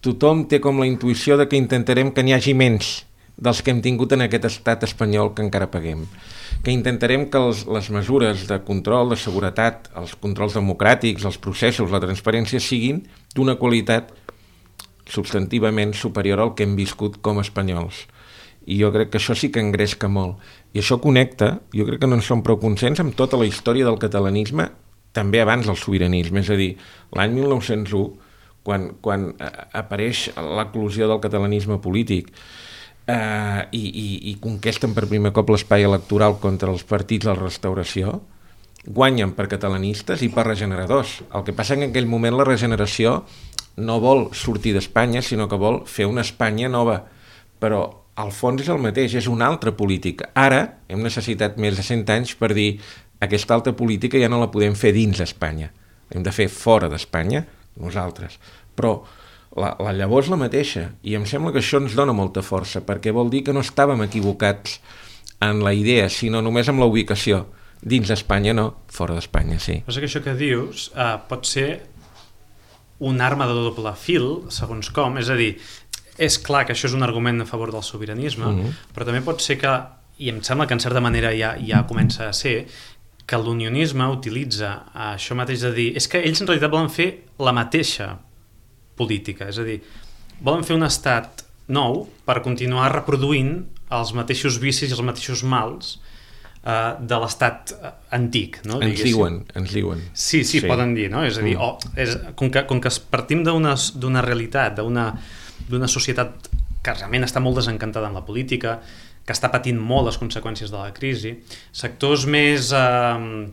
S3: tothom té com la intuïció de que intentarem que n'hi hagi menys dels que hem tingut en aquest estat espanyol que encara paguem. Que intentarem que els, les mesures de control, de seguretat, els controls democràtics, els processos, la transparència siguin d'una qualitat substantivament superior al que hem viscut com a espanyols. I jo crec que això sí que engresca molt. I això connecta, jo crec que no en som prou conscients, amb tota la història del catalanisme, també abans del sobiranisme. És a dir, l'any mil nou-cents u, quan, quan apareix l'eclosió del catalanisme polític, Uh, i, i, i conquesten per primer cop l'espai electoral contra els partits de la restauració, guanyen per catalanistes i per regeneradors. El que passa que en aquell moment la regeneració no vol sortir d'Espanya, sinó que vol fer una Espanya nova. Però al fons és el mateix, és una altra política. Ara hem necessitat més de cent anys per dir aquesta altra política ja no la podem fer dins d'Espanya. Hem de fer fora d'Espanya, nosaltres. Però La, la llavor és la mateixa, i em sembla que això ens dona molta força, perquè vol dir que no estàvem equivocats en la idea, sinó només amb la ubicació. Dins d'Espanya no, fora d'Espanya sí.
S4: Però és que això que dius uh, pot ser una arma de doble fil, segons com, és a dir, és clar que això és un argument a favor del sobiranisme, uh-huh. però també pot ser que, i em sembla que en certa manera ja, ja comença a ser, que l'unionisme utilitza això mateix de dir, és que ells en realitat volen fer la mateixa política, és a dir, volen fer un estat nou per continuar reproduint els mateixos vicis i els mateixos mals uh, de l'estat antic, no?
S3: Ens diguéssim. diuen, ens diuen.
S4: Sí, sí, sí, poden dir, no? És a dir, mm. oh, és, com, que, com que partim d'una d'una realitat, d'una d'una societat que realment està molt desencantada en la política, que està patint molt les conseqüències de la crisi, sectors més eh,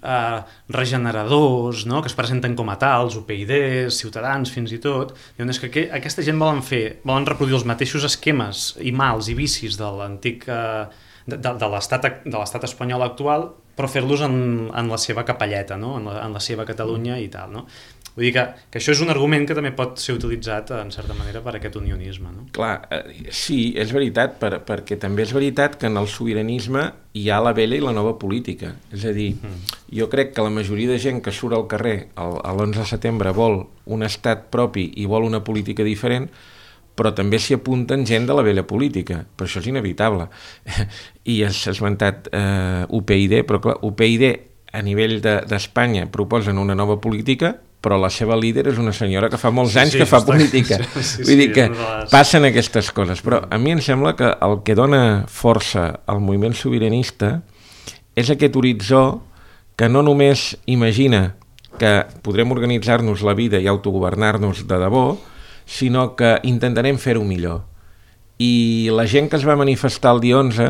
S4: eh, regeneradors, no? Que es presenten com a tals, U P yD, Ciutadans fins i tot, diuen és que aqu aquesta gent volen fer, volen reproduir els mateixos esquemes i mals i vicis de l'antic eh, de, de, de l'estat espanyol actual, però fer-los en, en la seva capelleta, no? en, la, en la seva Catalunya i tal, no? Vull dir que, que això és un argument que també pot ser utilitzat, en certa manera, per aquest unionisme, no?
S3: Clar, eh, sí, és veritat, per, perquè també és veritat que en el sobiranisme hi ha la vella i la nova política. És a dir, mm. jo crec que la majoria de gent que surt al carrer l'onze de setembre vol un estat propi i vol una política diferent, però també s'hi apunten gent de la vella política, però això és inevitable. I has esmentat eh, U P yD, però clar, U P yD a nivell d'Espanya de, proposen una nova política, però la seva líder és una senyora que fa molts anys sí, sí, que fa està... política. Sí, sí, Vull dir que sí, les... passen aquestes coses, però a mi em sembla que el que dona força al moviment sobiranista és aquest horitzó que no només imagina que podrem organitzar-nos la vida i autogovernar-nos de debò, sinó que intentarem fer-ho millor. I la gent que es va manifestar el dia onze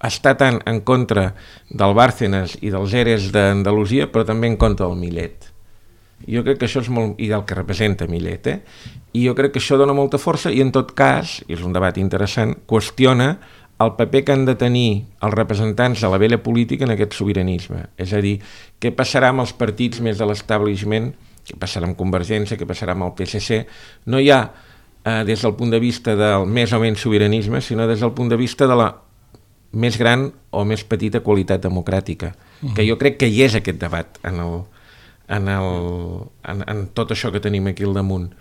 S3: està tant en contra del Bárcenas i dels eres d'Andalusia, però també en contra del Millet. Jo crec que això és molt... i del que representa Millet, eh? I jo crec que això dona molta força i en tot cas, i és un debat interessant, qüestiona el paper que han de tenir els representants de la vella política en aquest sobiranisme. És a dir, què passarà amb els partits més de l'establishment, què passarà amb Convergència, què passarà amb el P S C. No hi ha eh, des del punt de vista del més o menys sobiranisme, sinó des del punt de vista de la més gran o més petita qualitat democràtica. Uh-huh. Que jo crec que hi és aquest debat en el... En, el, en, en tot això que tenim aquí al damunt,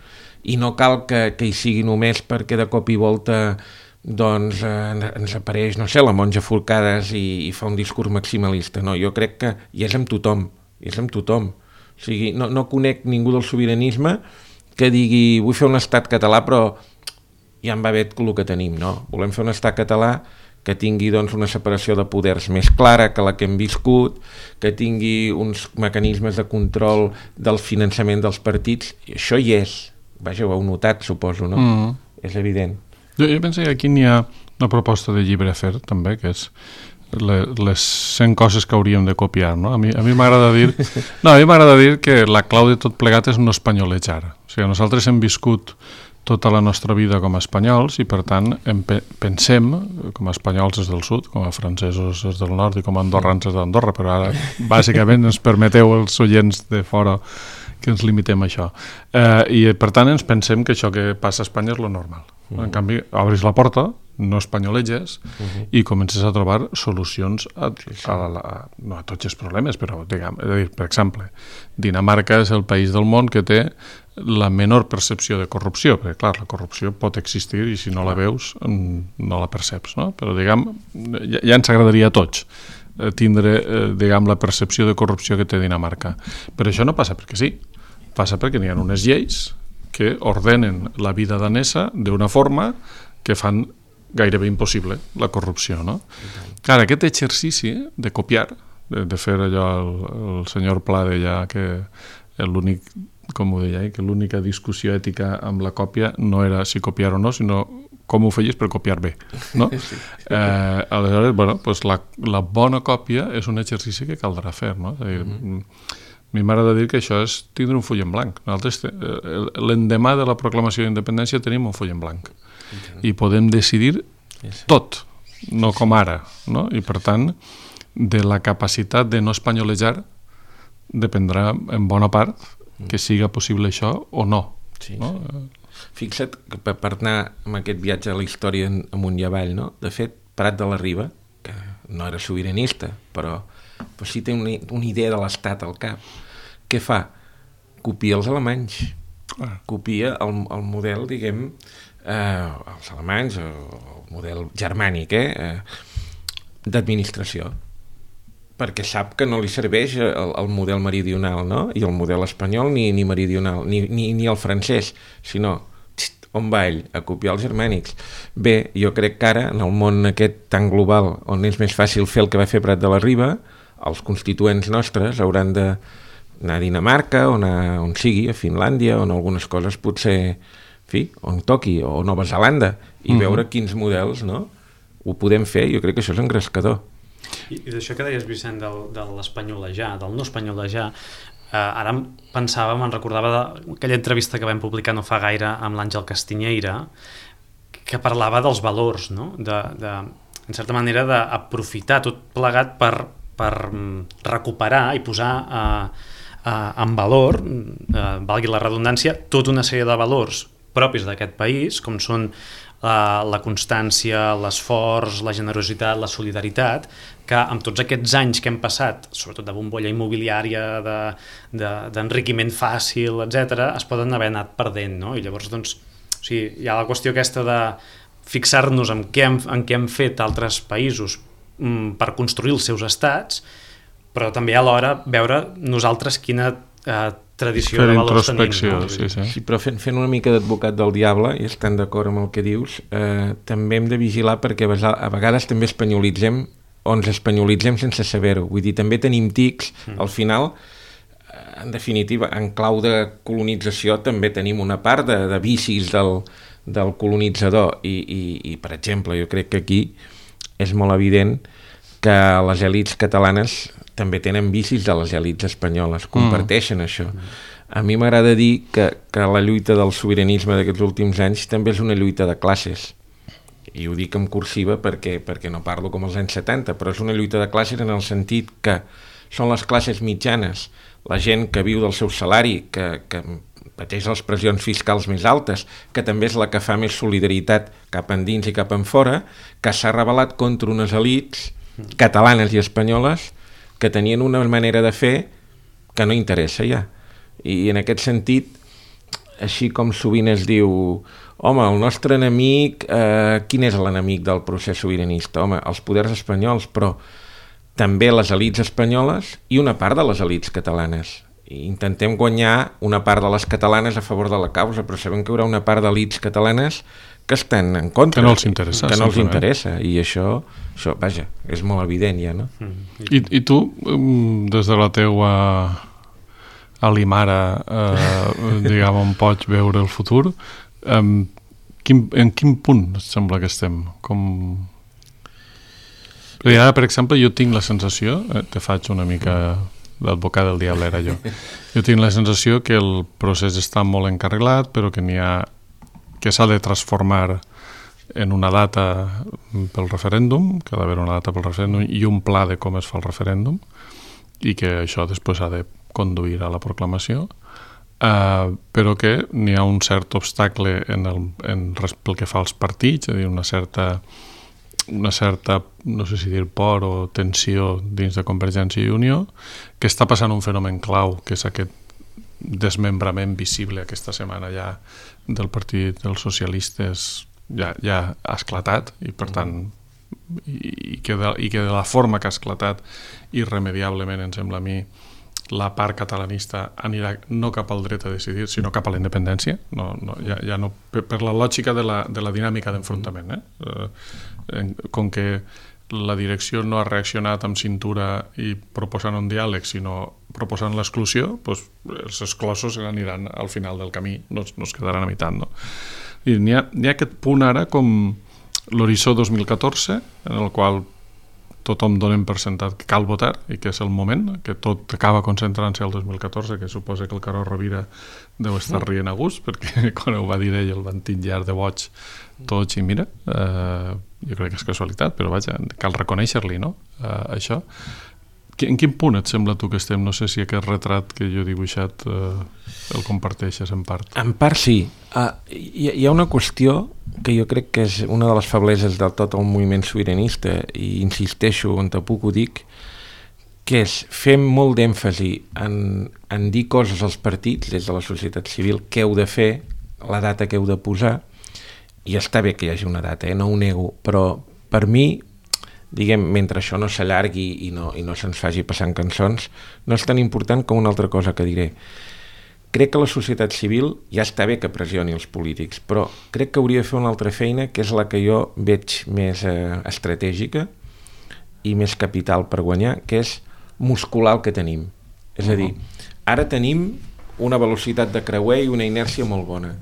S3: i no cal que, que hi sigui només perquè de cop i volta doncs eh, ens apareix, no sé, la monja Forcades i, i fa un discurs maximalista. No, jo crec que hi és amb tothom, hi és amb tothom. O sigui, no, no conec ningú del sobiranisme que digui vull fer un estat català però ja em va bé el que tenim, no? Volem fer un estat català que tingui doncs, una separació de poders més clara que la que hem viscut, que tingui uns mecanismes de control del finançament dels partits. I això hi és. Vaja, ho heu notat, suposo, no? Mm. És evident.
S2: Jo, jo penso que aquí n'hi ha una proposta de llibre a fer, també, que és le, les cent coses que hauríem de copiar, no? A mi, a mi m'agrada dir... No, a mi m'agrada dir que la clau de tot plegat és no espanyolejar. O sigui, nosaltres hem viscut tota la nostra vida com a espanyols i per tant em pe pensem com a espanyols des del sud, com a francesos des del nord i com a andorrans des d'Andorra, però ara bàsicament ens permeteu els oients de fora que ens limitem a això. Eh, I per tant ens pensem que això que passa a Espanya és lo normal. Uh-huh. En canvi, obris la porta, no espanyoleges uh-huh. i comences a trobar solucions a, a, a, a, no a tots els problemes, però diguem, és a dir, per exemple, Dinamarca és el país del món que té la menor percepció de corrupció, perquè clar, la corrupció pot existir i si no la veus no la perceps, no? Però diguem, ja, ja ens agradaria a tots tindre, eh, diguem, la percepció de corrupció que té Dinamarca. Però això no passa perquè sí, passa perquè n'hi ha unes lleis que ordenen la vida danesa d'una forma que fan gairebé impossible la corrupció, no? Clar, aquest exercici de copiar, de, de fer allò, el, el senyor Pla deia que l'únic, com ho deia, que l'única discussió ètica amb la còpia no era si copiar o no, sinó com ho feies per copiar bé, no? Sí. Eh, aleshores, bueno, pues la, la bona còpia és un exercici que caldrà fer, no? És a dir, mm-hmm. a mi m'agrada dir que això és tindre un full en blanc. Nosaltres, l'endemà de la proclamació d'independència tenim un full en blanc mm-hmm. i podem decidir tot, no com ara, no? I per tant, de la capacitat de no espanyolejar dependrà en bona part que siga possible això o no.
S3: Sí,
S2: no?
S3: Sí. Fixa't que per, per anar amb aquest viatge a la història amunt i avall, no? De fet, Prat de la Riba, que no era sobiranista, però, però sí té una, una idea de l'estat al cap. Què fa? Copia els alemanys. Ah. Copia el, el model, diguem, eh, els alemanys, el model germànic, eh, eh, d'administració. Perquè sap que no li serveix el, el model meridional, no? I el model espanyol ni, ni meridional, ni, ni, ni el francès, sinó txt, on va ell? A copiar els germànics. Bé, jo crec que ara, en el món aquest tan global, on és més fàcil fer el que va fer Prat de la Riba, els constituents nostres hauran d'anar a Dinamarca, o anar on sigui, a Finlàndia, on algunes coses potser fi, on toqui, o Nova Zelanda, i mm-hmm. veure quins models, no? Ho podem fer, jo crec que això és engrescador.
S4: I, i d'això que deies, Vicent, del, de l'espanyolejar, del no espanyolejar, eh, ara pensava, me'n recordava d'aquella entrevista que vam publicar no fa gaire amb l'Àngel Castiñeira, que parlava dels valors, no? De, de, en certa manera, d'aprofitar tot plegat per, per recuperar i posar eh, eh, en valor, eh, valgui la redundància, tota una sèrie de valors propis d'aquest país, com són la, la constància, l'esforç, la generositat, la solidaritat, que amb tots aquests anys que hem passat, sobretot de bombolla immobiliària, d'enriquiment de, de, fàcil, etcètera, es poden haver anat perdent, no? I llavors, doncs, o sigui, hi ha la qüestió aquesta de fixar-nos en què hem, en què hem fet altres països mm, per construir els seus estats, però també alhora veure nosaltres quina eh, tradició de valors tenim. No?
S2: Sí, sí.
S3: Sí, però fent, fent una mica d'advocat del diable, i estan d'acord amb el que dius, eh, també hem de vigilar perquè a vegades també espanyolitzem o ens espanyolitzem sense saber-ho. Vull dir, també tenim tics, mm. al final, en definitiva, en clau de colonització també tenim una part de, de vicis del, del colonitzador i, i, i, per exemple, jo crec que aquí és molt evident que les èlits catalanes també tenen vicis de les èlits espanyoles, comparteixen mm. això. A mi m'agrada dir que, que la lluita del sobiranisme d'aquests últims anys també és una lluita de classes, i ho dic en cursiva perquè, perquè no parlo com els anys setanta, però és una lluita de classes en el sentit que són les classes mitjanes, la gent que viu del seu salari, que, que pateix les pressions fiscals més altes, que també és la que fa més solidaritat cap endins i cap enfora, que s'ha rebel·lat contra unes elits catalanes i espanyoles que tenien una manera de fer que no interessa ja. I en aquest sentit, així com sovint es diu, home, el nostre enemic, eh, quin és l'enemic del procés sobiranista? Home, els poders espanyols, però també les elits espanyoles i una part de les elits catalanes. I intentem guanyar una part de les catalanes a favor de la causa, però sabem que hi haurà una part d'elits catalanes que estan en contra.
S2: Que no els interessa.
S3: Que no els interessa, i això, això, vaja, és molt evident ja, no?
S2: Mm. I, I tu, des de la teua alimara, eh, diguem, on pots veure el futur, eh, quin, en quin punt et sembla que estem? Com... Perquè ara, per exemple, jo tinc la sensació, eh, te faig una mica l'advocat del diable era jo, jo tinc la sensació que el procés està molt encarrilat, però que n'hi ha que s'ha de transformar en una data pel referèndum, que ha d'haver una data pel referèndum i un pla de com es fa el referèndum, i que això després ha de conduir a la proclamació, uh, però que n'hi ha un cert obstacle en el, en, pel que fa als partits, és a dir, una certa, una certa, no sé si dir por o tensió dins de Convergència i Unió, que està passant un fenomen clau, que és aquest desmembrament visible aquesta setmana ja del partit dels socialistes ja, ja ha esclatat i per tant i, i, que de, i que de la forma que ha esclatat irremediablement, em sembla a mi, la part catalanista anirà no cap al dret a decidir sinó cap a la independència, no, no, ja, ja no, per, per la lògica de la, de la dinàmica d'enfrontament, eh? Eh, com que la direcció no ha reaccionat amb cintura i proposant un diàleg, sinó proposant l'exclusió, doncs els exclosos aniran al final del camí, no, no es quedaran a meitat, no? I n'hi ha, n'hi ha aquest punt ara com l'horitzó dos mil catorze, en el qual tothom donem per sentat que cal votar i que és el moment, que tot acaba concentrant-se al dos mil catorze, que suposa que el Carod Rovira deu estar rient a gust, perquè quan ho va dir ell el van titllar de boig tots i mira, eh, jo crec que és casualitat, però vaja, cal reconèixer-li, no? Eh, això. En quin punt et sembla tu que estem? No sé si aquest retrat que jo he dibuixat eh, el comparteixes en part.
S3: En part sí. Uh, hi, hi ha una qüestió que jo crec que és una de les febleses del tot el moviment sobiranista, i insisteixo on te puc ho dic, que és fer molt d'èmfasi en, en dir coses als partits des de la societat civil, què heu de fer, la data que heu de posar, i està bé que hi hagi una data, eh? No ho nego, però per mi, diguem, mentre això no s'allargui i no, i no se'ns faci passant cançons, no és tan important com una altra cosa que diré. Crec que la societat civil ja està bé que pressioni els polítics, però crec que hauria de fer una altra feina, que és la que jo veig més eh, estratègica i més capital per guanyar, que és muscular el que tenim. És a dir, ara tenim una velocitat de creuer i una inèrcia molt bona,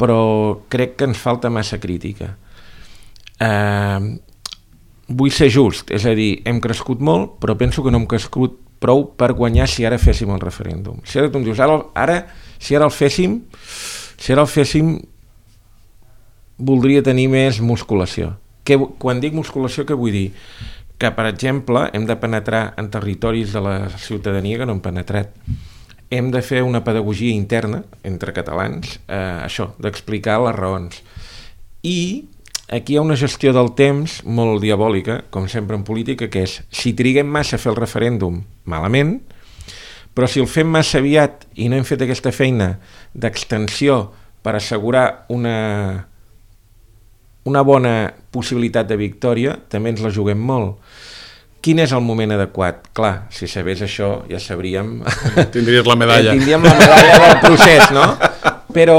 S3: però crec que ens falta massa crítica. Eh, vull ser just, és a dir, hem crescut molt, però penso que no hem crescut prou per guanyar si ara féssim el referèndum. Si ara tu em dius, ara, ara si ara el féssim, si ara el féssim, voldria tenir més musculació. Que, quan dic musculació, què vull dir? Que, per exemple, hem de penetrar en territoris de la ciutadania que no hem penetrat. Hem de fer una pedagogia interna entre catalans, eh, això, d'explicar les raons. I aquí hi ha una gestió del temps molt diabòlica, com sempre en política, que és, si triguem massa a fer el referèndum, malament, però si el fem massa aviat i no hem fet aquesta feina d'extensió per assegurar una, una bona possibilitat de victòria, també ens la juguem molt. Quin és el moment adequat? Clar, si sabés això ja sabríem...
S2: Tindries la medalla.
S3: Tindríem la medalla del procés, no? Però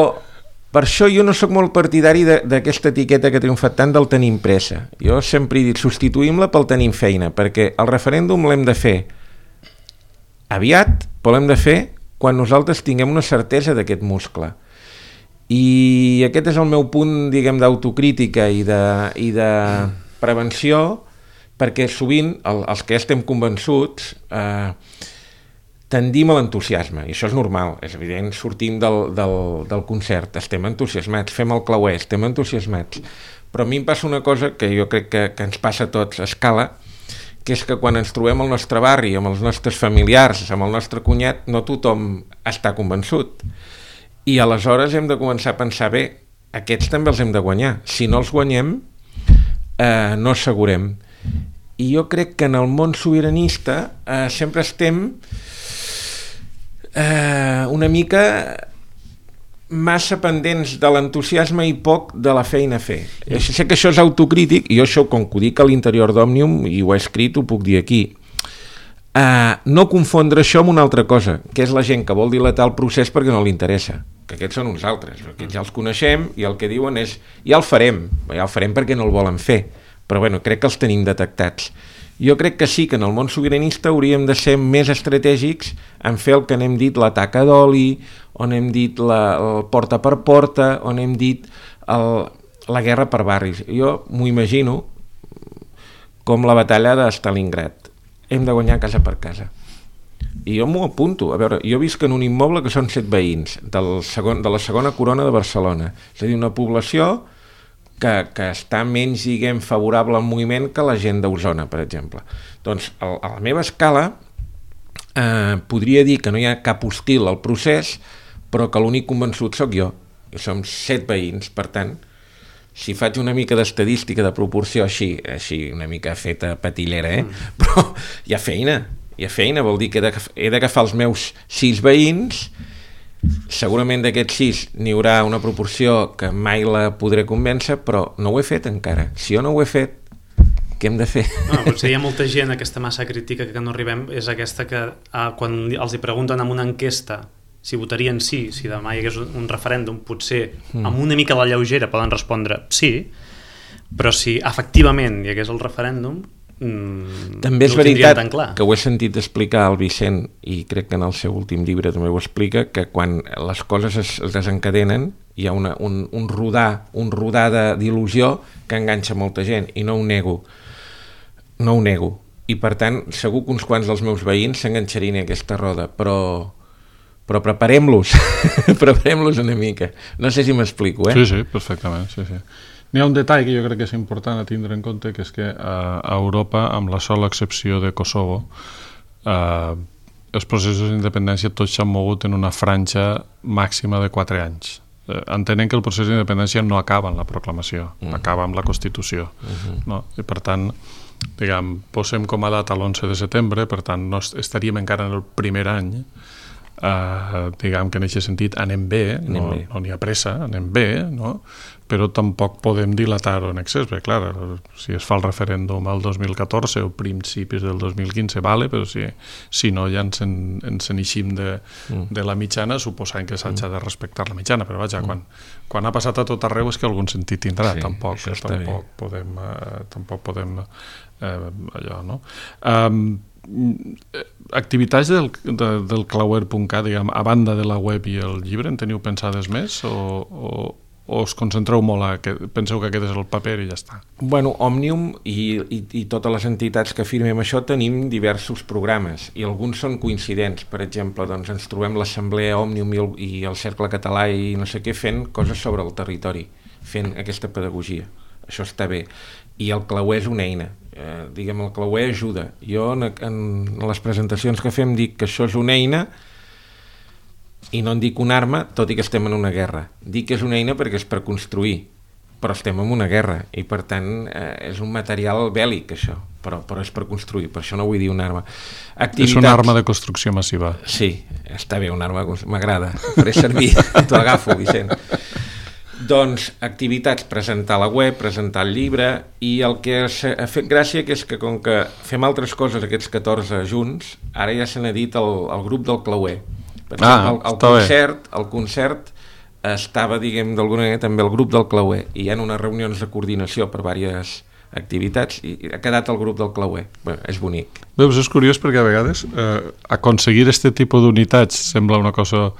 S3: per això jo no sóc molt partidari d'aquesta etiqueta que ha triomfat tant del tenim pressa. Jo sempre he dit, substituïm-la pel tenim feina, perquè el referèndum l'hem de fer aviat, però l'hem de fer quan nosaltres tinguem una certesa d'aquest muscle. I aquest és el meu punt, diguem, d'autocrítica i de, i de prevenció, perquè sovint el, els que estem convençuts eh, tendim a l'entusiasme, i això és normal, és evident, sortim del, del, del concert, estem entusiasmats, fem el clauer, estem entusiasmats, però a mi em passa una cosa que jo crec que, que ens passa a tots a escala, que és que quan ens trobem al nostre barri, amb els nostres familiars, amb el nostre cunyat, no tothom està convençut, i aleshores hem de començar a pensar, bé, aquests també els hem de guanyar, si no els guanyem, eh, no assegurem. I jo crec que en el món sobiranista eh, sempre estem eh, una mica massa pendents de l'entusiasme i poc de la feina a fer. Jo sé que això és autocrític, i jo això, com que ho dic a l'interior d'Òmnium, i ho he escrit, ho puc dir aquí. Eh, no confondre això amb una altra cosa, que és la gent que vol dilatar el procés perquè no li interessa, que aquests són uns altres, perquè ja els coneixem i el que diuen és, ja el farem, ja el farem perquè no el volen fer, però bueno, crec que els tenim detectats. Jo crec que sí que en el món sobiranista hauríem de ser més estratègics en fer el que n'hem dit la taca d'oli, on hem dit la, el porta per porta, on hem dit el, la guerra per barris. Jo m'ho imagino com la batalla de Stalingrad. Hem de guanyar casa per casa. I jo m'ho apunto. A veure, jo visc en un immoble que són set veïns del segon, de la segona corona de Barcelona. És a dir, una població que, que està menys, diguem, favorable al moviment que la gent d'Osona, per exemple. Doncs, a, a la meva escala, eh, podria dir que no hi ha cap hostil al procés, però que l'únic convençut sóc jo. I som set veïns, per tant, si faig una mica d'estadística de proporció així, així una mica feta patillera, eh? Mm. Però hi ha feina, hi ha feina, vol dir que he d'agafar els meus sis veïns, segurament d'aquests sis n'hi haurà una proporció que mai la podré convèncer, però no ho he fet encara. Si jo no ho he fet, què hem de fer?
S4: No, potser hi ha molta gent, aquesta massa crítica que no arribem, és aquesta que eh, quan els hi pregunten en una enquesta si votarien sí, si demà hi hagués un referèndum, potser mm. amb una mica de lleugera poden respondre sí, però si efectivament hi hagués el referèndum, mm,
S3: també és
S4: no ho
S3: veritat
S4: tan clar.
S3: Que ho he sentit explicar al Vicent, i crec que en el seu últim llibre també ho explica, que quan les coses es, es desencadenen hi ha una, un, un rodar, un rodar d'il·lusió que enganxa molta gent, i no ho nego, no ho nego, i per tant segur que uns quants dels meus veïns s'enganxarien a aquesta roda, però però preparem-los, preparem-los una mica. No sé si m'explico, eh?
S2: Sí, sí, perfectament, sí, sí. N'hi ha un detall que jo crec que és important a tindre en compte, que és que a Europa, amb la sola excepció de Kosovo, eh, els processos d'independència tots s'han mogut en una franja màxima de quatre anys. Eh, entenem que el procés d'independència no acaba en la proclamació, mm. acaba amb la Constitució. Mm-hmm. No? I per tant, diguem, posem com a data l'onze de setembre, per tant, no estaríem encara en el primer any. Uh, diguem que en aquest sentit anem bé, anem no, bé. no n'hi ha pressa, anem bé, no? Però tampoc podem dilatar-ho en excés, perquè clar, si es fa el referèndum el dos mil catorze o principis del dos mil quinze, vale, però si, si no ja ens en, ens en eixim de, mm. de la mitjana, suposant que s'ha de respectar la mitjana, però vaja, mm. quan, quan ha passat a tot arreu és que algun sentit tindrà, sí, tampoc, tampoc podem, uh, tampoc podem uh, allò, no? Um, activitats del, de, del clauer punt cat, diguem, a banda de la web i el llibre, en teniu pensades més? O, o... o us concentreu molt a que penseu que aquest és el paper i ja està?
S3: Bueno, Òmnium i, i, i totes les entitats que firmem això tenim diversos programes i alguns són coincidents. Per exemple, doncs ens trobem l'Assemblea Òmnium i el, i el Cercle Català i no sé què fent coses sobre el territori, fent aquesta pedagogia. Això està bé. I el Clauer és una eina. Eh, diguem, el Clauer ajuda. Jo en, en les presentacions que fem dic que això és una eina i no en dic una arma, tot i que estem en una guerra. Dic que és una eina perquè és per construir, però estem en una guerra i per tant eh, és un material bèl·lic això, però, però és per construir, per això no vull dir una arma. Activitats...
S2: És una arma de construcció massiva.
S3: Sí, està bé, una arma, m'agrada, faré servir, t'ho agafo, Vicent. Doncs activitats, presentar la web, presentar el llibre, i el que ha fet gràcia que és que com que fem altres coses aquests catorze junts, ara ja se n'ha dit el, el grup del Clauer. Per exemple,
S2: ah,
S3: el, el concert, el concert estava, diguem, d'alguna manera també el grup del Clauer, i hi ha unes reunions de coordinació per diverses activitats i ha quedat el grup del Clauer. Bé, és bonic.
S2: Veus, és curiós perquè a vegades eh, aconseguir este tipus d'unitats sembla una cosa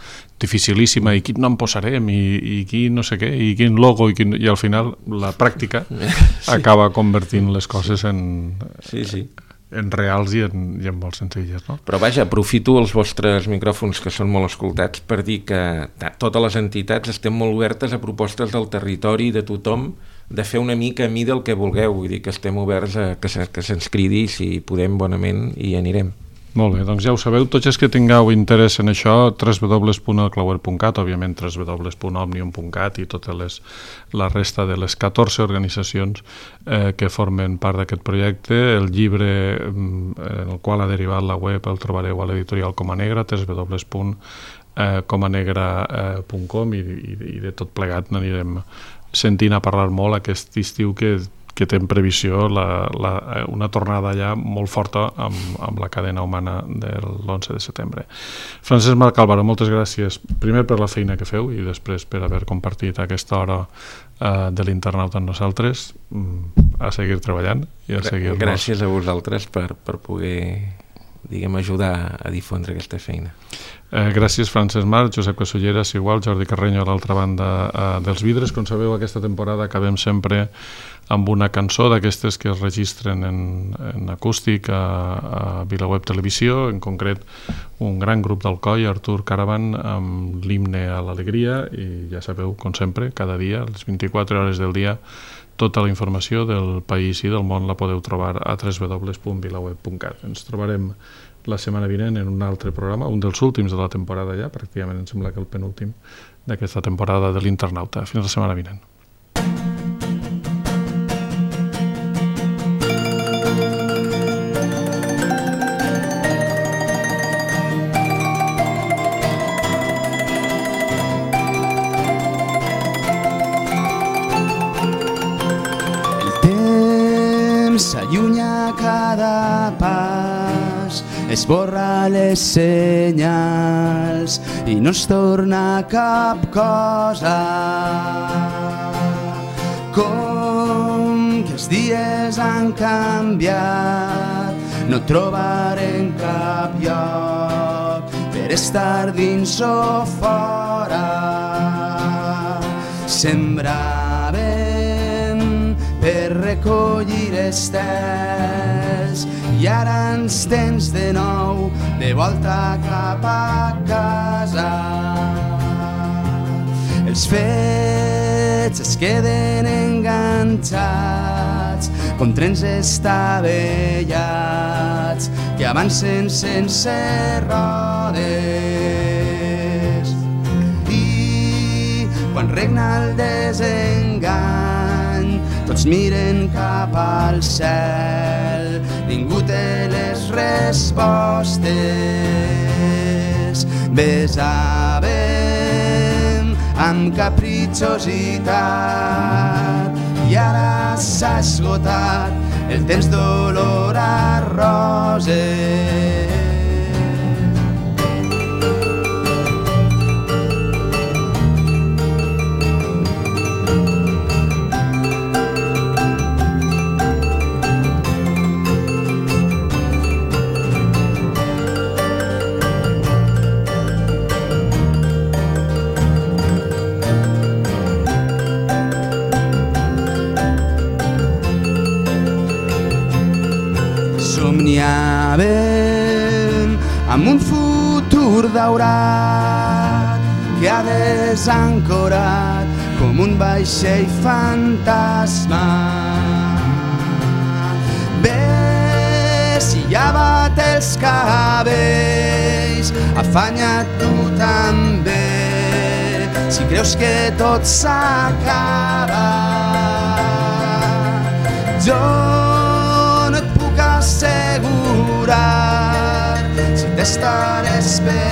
S2: dificilíssima, i quin nom posarem i, i quin no sé què, i quin logo i, quin... i al final la pràctica sí. acaba convertint les coses en,
S3: sí, sí.
S2: en reals i en, i en molt senzilles, no?
S3: Però vaja, aprofito els vostres micròfons que són molt escoltats per dir que totes les entitats estem molt obertes a propostes del territori, de tothom, de fer una mica a mi del que vulgueu, vull dir que estem oberts a que, se, que se'ns cridi si podem bonament i anirem.
S2: Molt bé, doncs ja ho sabeu, tots els que tingueu interès en això, w w w punt el clauer punt cat, òbviament w w w punt òmnium punt cat i tota les, la resta de les catorze organitzacions eh, que formen part d'aquest projecte. El llibre en el qual ha derivat la web el trobareu a l'editorial Coma Negra, w w w punt coma negra punt com, i, i, i de tot plegat n'anirem sentint a parlar molt aquest estiu que que té en previsió la, la, una tornada allà molt forta amb, amb la cadena humana de l'onze de setembre. Francesc Marc Álvaro, moltes gràcies primer per la feina que feu i després per haver compartit aquesta hora uh, de l'internauta amb nosaltres. A seguir treballant i a seguir-nos.
S3: Gràcies a vosaltres per, per poder, diguem, ajudar a difondre aquesta feina.
S2: Eh, gràcies Francesc Marc, Josep Casulleras igual, Jordi Carreño a l'altra banda eh, dels vidres. Com sabeu, aquesta temporada acabem sempre amb una cançó d'aquestes que es registren en, en acústic a, a VilaWeb Televisió, en concret un gran grup d'Alcoi, Artur Caravan, amb l'himne a l'alegria, i ja sabeu, com sempre, cada dia, a les vint-i-quatre hores del dia, tota la informació del país i del món la podeu trobar a w w w punt vilaweb punt cat. Ens trobarem la setmana vinent en un altre programa, un dels últims de la temporada ja, pràcticament em sembla que el penúltim d'aquesta temporada de l'Internauta. Fins la setmana vinent.
S8: S'allunya cada pas, esborra les senyals i no es torna cap cosa. Com que els dies han canviat, no trobarem cap lloc per estar dins o fora. Sembràvem per recollir estels i ara ens tens de nou de volta cap a casa. Els fets es queden enganxats com trens estavellats que avancen sense rodes, i quan regna el desengany tots miren cap al cel, ningú té les respostes. Besàvem amb capritxositat i ara s'ha esgotat el temps d'olor a roses. somniàvem amb un futur daurat que ha desancorat com un vaixell fantasma. Ves i lleva't els cabells, afanya't tu també, si creus que tot s'acaba. Jo no et puc assegurar si t'estaré esperant